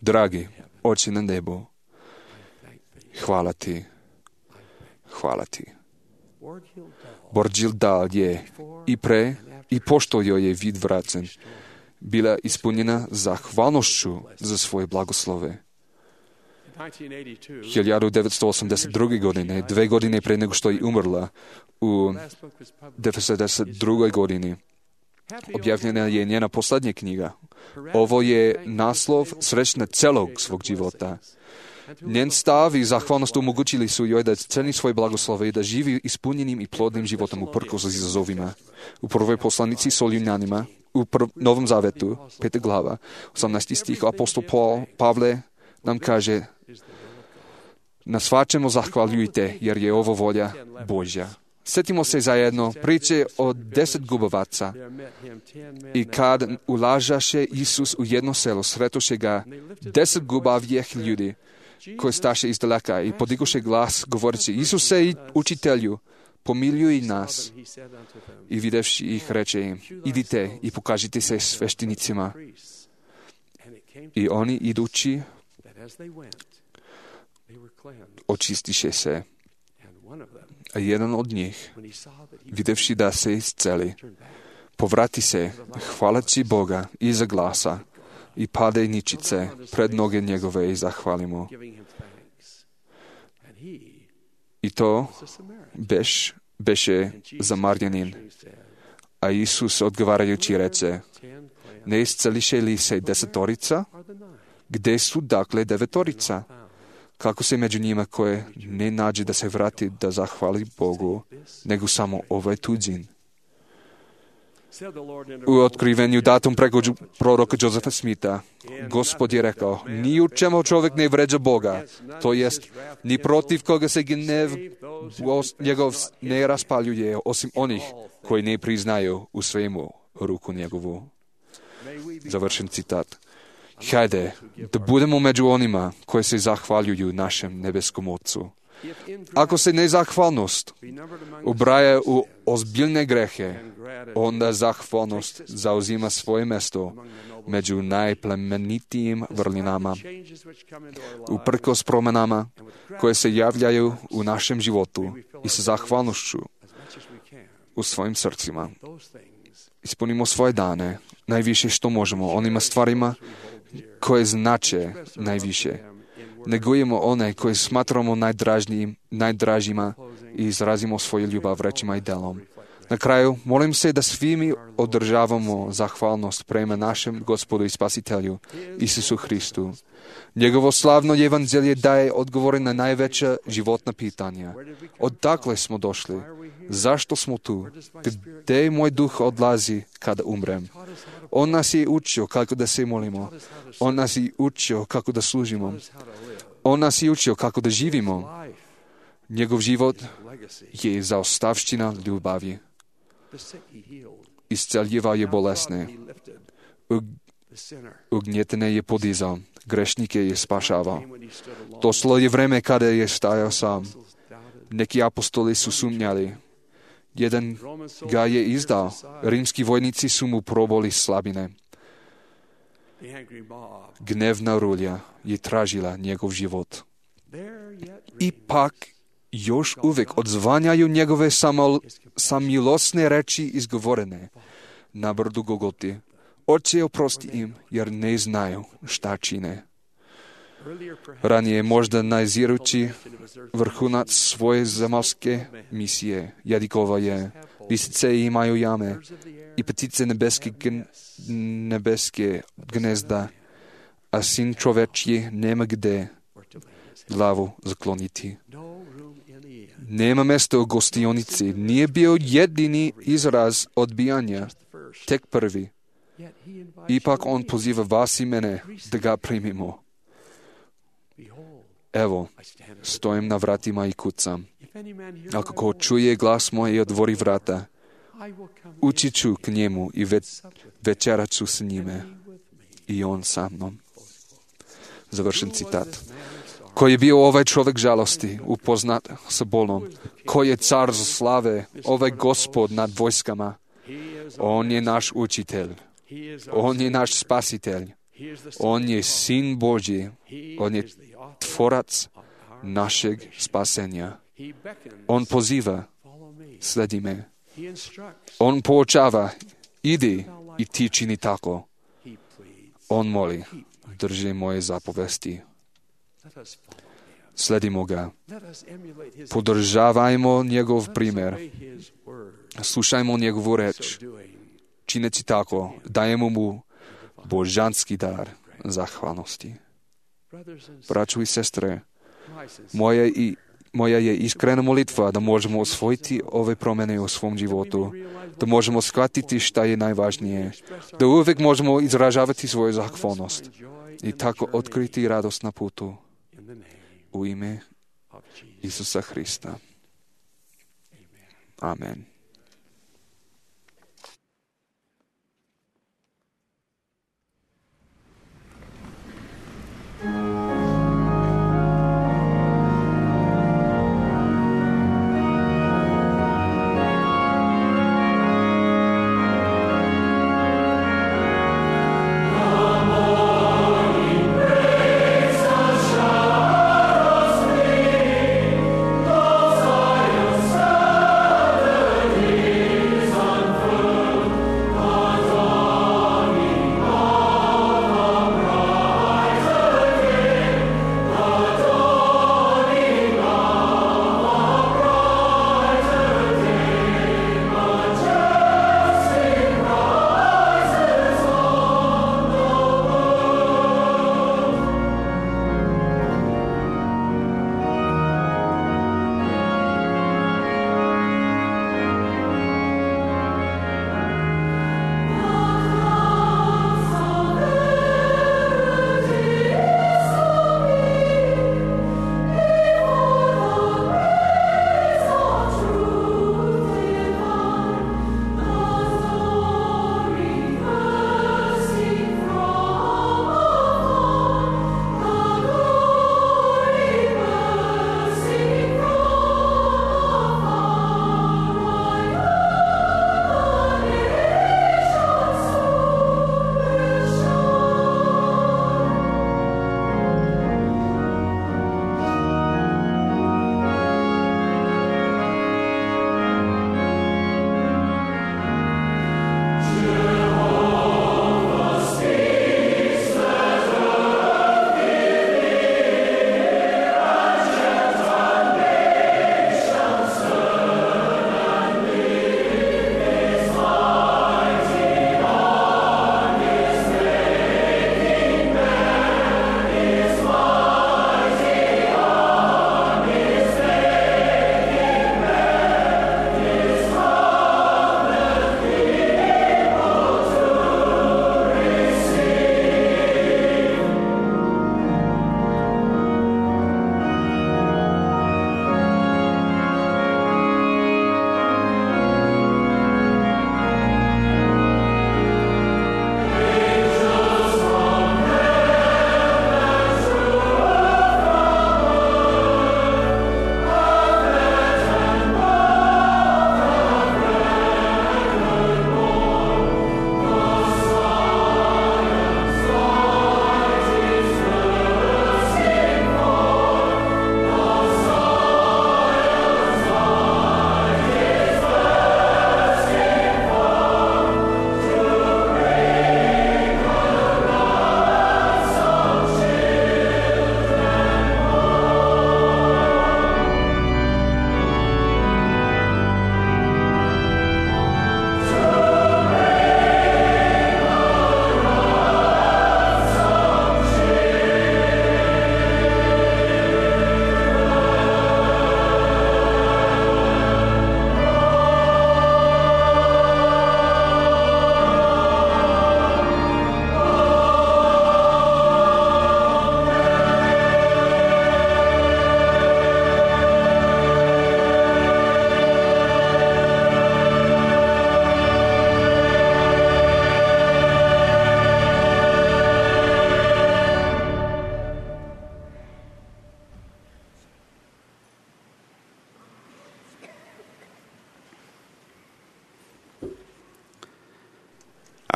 Dragi, oči na nebu, hvala ti, hvala ti. Borghild Dahl je i pre i pošto joj je vid vraćen, bila ispunjena zahvalnošću za svoje blagoslove. hiljadu devetsto osamdeset druge. godine, dve godine pre nego što je umrla, u devedeset drugoj. godini, objavljena je njena posljednja knjiga. Ovo je naslov srećna celog svog života. Njen stav i zahvalnost omogućili su joj da ceni svoje blagoslove i da živi ispunjenim i plodnim životom uprkos izazovima. U prvoj poslanici Solunjanima, u prv, Novom Zavetu, peta glava, osamnaesti stih, apostol Paul, Pavle nam kaže: na svačemu zahvaljujte, jer je ovo volja Božja. Sjetimo se zajedno priče o deset gubavaca. I kad ulažaše Isus u jedno selo, sretoše ga deset gubavijeh ljudi, koji staše izdaleka i podigoše glas, govoreći: Isuse i učitelju, pomiljuj nas. I videvši ih, reče im: idite i pokažite se sveštenicima. I oni, idući, očistiše se. A jedan od njih, videvši da se isceli, povrati se, hvaleći Boga iza glasa, i pade ničice pred noge njegove i zahvali mu. I to beš, beše Zamarjanin. A Isus odgovarajući reče, ne isceliše li se desetorica? Gde su dakle devetorica? Kako se među njima koje ne nađe da se vrati da zahvali Bogu, nego samo ovaj tuđin? U otkrivenju datom preko proroka Josefa Smitha, Gospod je rekao, ni u čemu čovjek ne vređa Boga, to jest, ni protiv koga se gnev njegov ne raspaljuje, osim onih koji ne priznaju u svemu ruku njegovu. Završen citat. Hajde, da budemo među onima koji se zahvaljuju našem nebeskom Otcu. Ako se nezahvalnost ubraja u ozbiljne grehe, onda zahvalnost zauzima svoje mjesto među najplemenitijim vrlinama. Uprkos promjenama koje se javljaju u našem životu i sa zahvalnošću u svojim srcima, ispunimo svoje dane najviše što možemo onima stvarima koje znače najviše. Negujemo one koje smatramo najdražima i izrazimo svoju ljubav rečima i delom. Na kraju, molim se da svi mi održavamo zahvalnost prema našem Gospodu i Spasitelju, Isusu Hristu. Njegovo slavno evanđelje daje odgovore na najveća životna pitanja. Odakle smo došli? Zašto smo tu? Gde moj duh odlazi kada umrem? On nas je učio kako da se molimo. On nas je učio kako da služimo. On nas je učio kako da živimo. Njegov život je zaostavština ljubavi. Isceljivao je bolesne. Ugnjetene je podizao. Grešnike je spašavao. Došlo je vreme kada je stajao sam. Neki apostoli su sumnjali. Jedan ga je izdao. Rimski vojnici su mu proboli slabine. Gnevna rulja je tražila njegov život. Ipak još uvijek odzvanjaju njegove samo, samilosne reči izgovorene na brdu Golgoti. Oče, oprosti im, jer ne znaju šta čine. Ranije možda nazirući vrhunac svoje zemaljske misije, jadikova je, lisice imaju jame i ptice nebeske, gn, nebeske gnezda, a sin čovečji nema gde glavu zakloniti. Nema mesta u gostionici, nije bio jedini izraz odbijanja, tek prvi. Ipak on poziva vas i mene da ga primimo. Evo, stojim na vratima i kucam. Ako ko čuje glas moj i otvori vrata, ući ću k njemu i ve, večerat ću s njime i on sa mnom. Završen citat. Ko je bio ovaj čovjek žalosti, upoznat sa bolom? Ko je car slave, ovaj Gospod nad vojskama? On je naš učitelj. On je naš spasitelj. On je sin Božji. On je tvorac našeg spasenja. On poziva, sledi me. On poučava, idi i ti čini tako. On moli, drži moje zapovesti. Sledimo ga. Podržavajmo njegov primjer. Slušajmo njegovu reč. Čineći tako, dajemo mu božanski dar zahvalnosti. Braćo i sestre, moja, i, moja je iskrena molitva da možemo osvojiti ove promjene u svom životu, da možemo shvatiti šta je najvažnije, da uvijek možemo izražavati svoju zahvalnost i tako otkriti radost na putu u ime Isusa Hrista. Amen. Amen.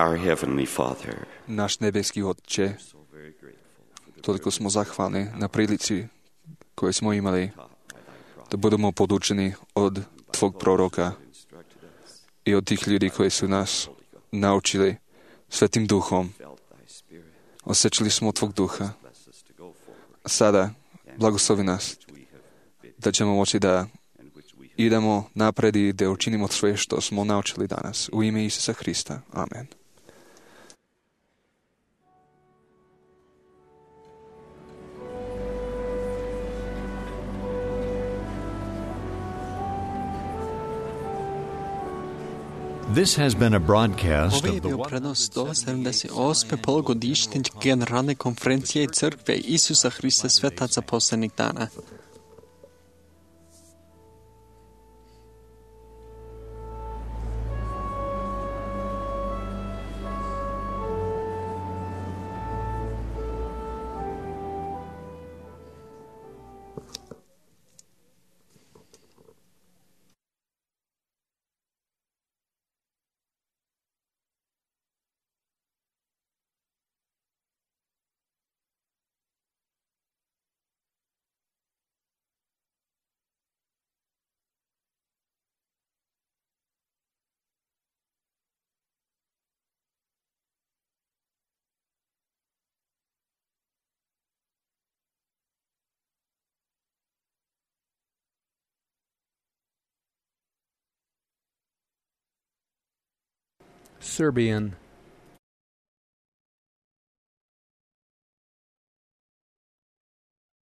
Our Heavenly Father, Náš nebeský Otče, toľko smo zachváli na prilici, koje smo imali, da budemo podučeni od Tvog proroka i od tých ľudí, koji su nas naučili Svetým duchom. Osjećali smo od Tvog duha. A sada, blagoslovi nas, da ćemo moći da idemo napred i da učinimo sve što smo naučili danas. U ime Isusa Hrista. Amen. This has been a broadcast Ovo je of the bio prenos sto sedamdeset osme polugodišnje generalne konferencije Crkve Isusa Hrista Svetaca poslednjih dana. Serbian